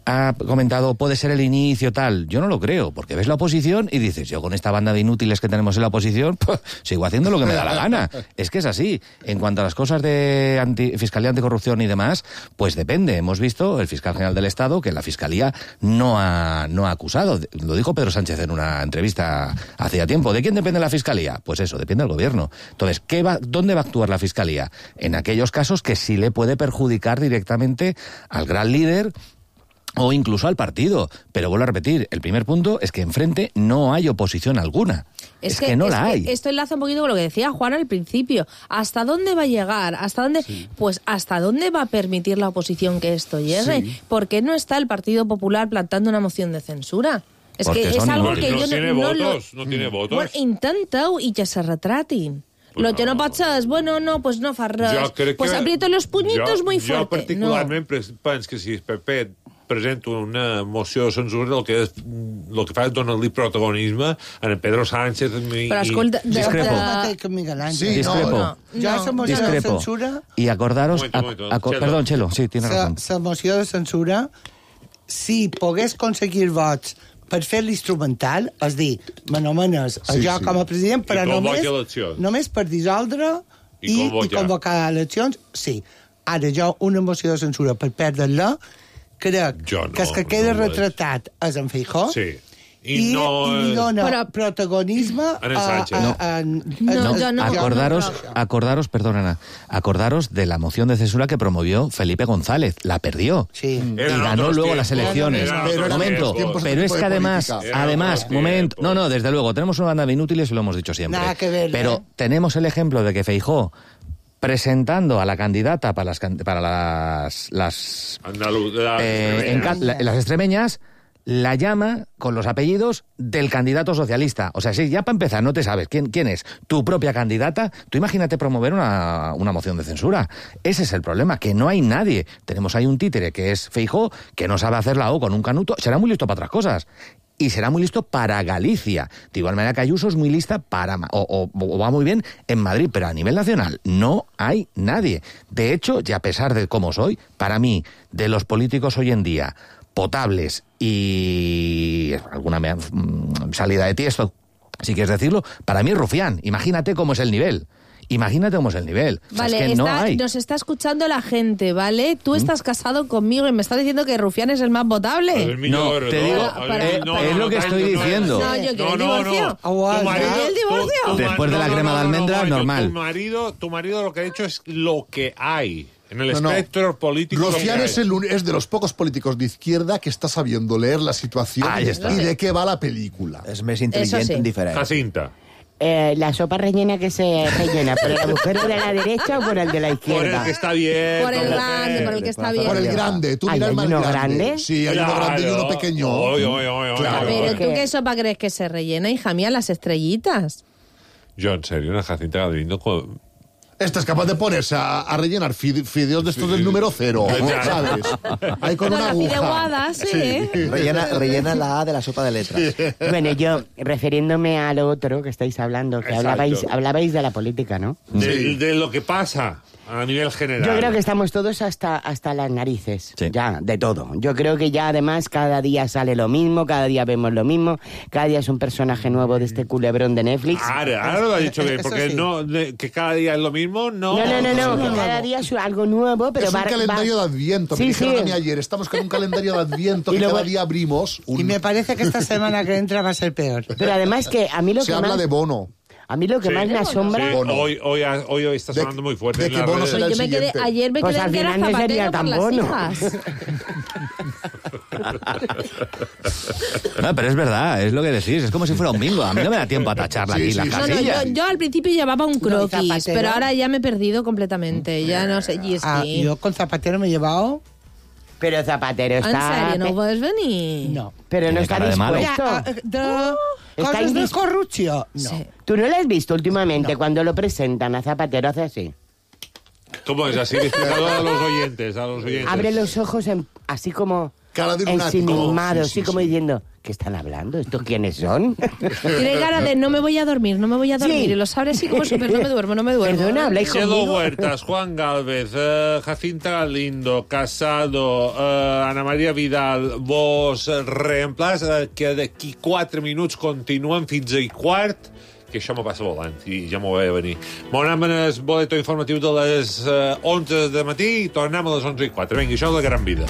Ha comentado, puede ser el inicio tal. Yo no lo creo, porque ves la oposición y dices, yo con esta banda de inútiles que tenemos en la oposición, pues, sigo haciendo lo que me da la gana. Es que es así. En cuanto a las cosas de Fiscalía Anticorrupción y demás, pues depende. Hemos visto el fiscal general del Estado que la Fiscalía no ha acusado. Lo dijo Pedro Sánchez en una entrevista hacía tiempo. ¿De quién depende la Fiscalía? Pues eso, depende del gobierno. Entonces, ¿dónde va a actuar la Fiscalía? En aquellos casos que sí le puede perjudicar directamente al gran líder o incluso al partido. Pero vuelvo a repetir, el primer punto es que enfrente no hay oposición alguna. Es que no la hay. Esto enlaza un poquito con lo que decía Juan al principio. ¿Hasta dónde va a llegar? ¿Hasta dónde? Sí. Pues ¿hasta dónde va a permitir la oposición que esto llegue? Sí. ¿Por qué no está el Partido Popular plantando una moción de censura? Es porque que es algo que yo no tiene votos. Bueno, intenta-ho i que se retratin. Lo que no pot ser és, bueno, no, pues no fa res. Pues aprieto los puñitos muy fuerte. Jo particularment penso que si el PP presenta una moció de censura, el que fa és donar-li protagonisme a en Pedro Sánchez Però escolta, discrepo. Y acordaros... Perdón, Chelo, sí, tiene razón. La moció de censura, si pogués conseguir vots per fer l'instrumental, és dir, m'anomenes jo com a president, però només per dissoldre i convocar eleccions, sí. Ara jo, una moció de censura per perdre-la, crec que el que queda retratat és en Feijóo, i li dona protagonisme a acordaros, perdón, Ana, acordaros de la moción de censura que promovió Felipe González. La perdió. Sí. Y ganó luego las elecciones. Pero es que además, no, desde luego, tenemos una banda de inútiles y lo hemos dicho siempre. Nada que ver, pero tenemos el ejemplo de que Feijóo, presentando a la candidata para las extremeñas, la llama con los apellidos del candidato socialista. O sea, si ya para empezar no te sabes quién es tu propia candidata, tú imagínate promover una moción de censura. Ese es el problema, que no hay nadie. Tenemos ahí un títere que es Feijóo, que no sabe hacer la O con un canuto. Será muy listo para otras cosas. Y será muy listo para Galicia. De igual manera que Ayuso es muy lista para... O va muy bien en Madrid, pero a nivel nacional no hay nadie. De hecho, y a pesar de cómo soy, para mí, de los políticos hoy en día, potables y alguna salida de tiesto, si quieres decirlo, para mí es Rufián. Imagínate cómo es el nivel. Vale, es que no hay. Nos está escuchando la gente, ¿vale? Tú estás casado conmigo y me estás diciendo que Rufián es el más votable. No, te digo, es lo que estoy diciendo. No, yo quiero el divorcio. ¿El divorcio? Después de la crema de almendra, normal. Tu marido lo que ha dicho es lo que hay. En el espectro político... Rufián es de los pocos políticos de izquierda que está sabiendo leer la situación y de qué va la película. Es más inteligente en diferente. Jacinta. La sopa rellena que se rellena, ¿por el agujero de la derecha o por el de la izquierda? Por el que está bien. Por el grande, por el que está bien. Por el grande. ¿Tú miras el más grande? Sí, hay uno grande y uno pequeño. Claro. Pero ¿tú qué sopa crees que se rellena, hija mía? Las estrellitas. Yo, en serio, una Jacinta Galindo con... Esta es capaz de ponerse a rellenar fideos de estos del número 0, ¿sabes? Ahí con una aguja. Fideuadas, sí. Rellena la A de la sopa de letras. Bueno, yo, refiriéndome a lo otro que estáis hablando, que hablabais de la política, ¿no? De lo que pasa. a nivel general. Yo creo que estamos todos hasta las narices, ya, de todo. Yo creo que ya además cada día sale lo mismo, cada día vemos lo mismo, cada día es un personaje nuevo de este culebrón de Netflix. Ahora lo ha dicho bien, porque sí. No, que cada día es lo mismo, no. No, que cada día es algo nuevo, pero es un calendario de Adviento. Me dijeron a mí ayer, estamos con un calendario de Adviento que cada día abrimos. Y me parece que esta semana que entra va a ser peor. Pero además que a mí lo se que habla de Bono. A mí lo que más me asombra... Sí. Hoy está sonando muy fuerte. De que Bono será el siguiente. Ayer me quedé al final no sería tan Bono. No, pero es verdad, es lo que decís. Es como si fuera un bingo. A mí no me da tiempo a tacharla aquí las casillas. Yo al principio llevaba un croquis, pero ahora ya me he perdido completamente. Ya no sé. Yo con Zapatero me he llevado... Pero Zapatero está... ¿En serio? ¿No puedes venir? No. Pero no está dispuesto. ¿Cosas de corrupción? No. Sí. ¿Tú no lo has visto últimamente cuando lo presentan a Zapatero hace así? ¿Cómo es así? Explicado a los oyentes. Abre los ojos así como... Cara de lunático. Ensimismado, sí, como diciendo... ¿Qué están hablando? ¿Estos quiénes son? Tiene cara de no me voy a dormir. Y lo sabe así como súper, no me duermo. Perdona, habláis conmigo. Cielo Huertas, Juan Galvez, Jacinta Galindo, Casado, Ana Maria Vidal, vos reemplaç, que d'aquí 4 minuts continuen fins a 1:15, que això m'ho passa volant i ja m'ho veia venir. M'anem en el boleto informatiu de les 11 de matí i tornem a les 11:04. Vinga, això és la gran vida.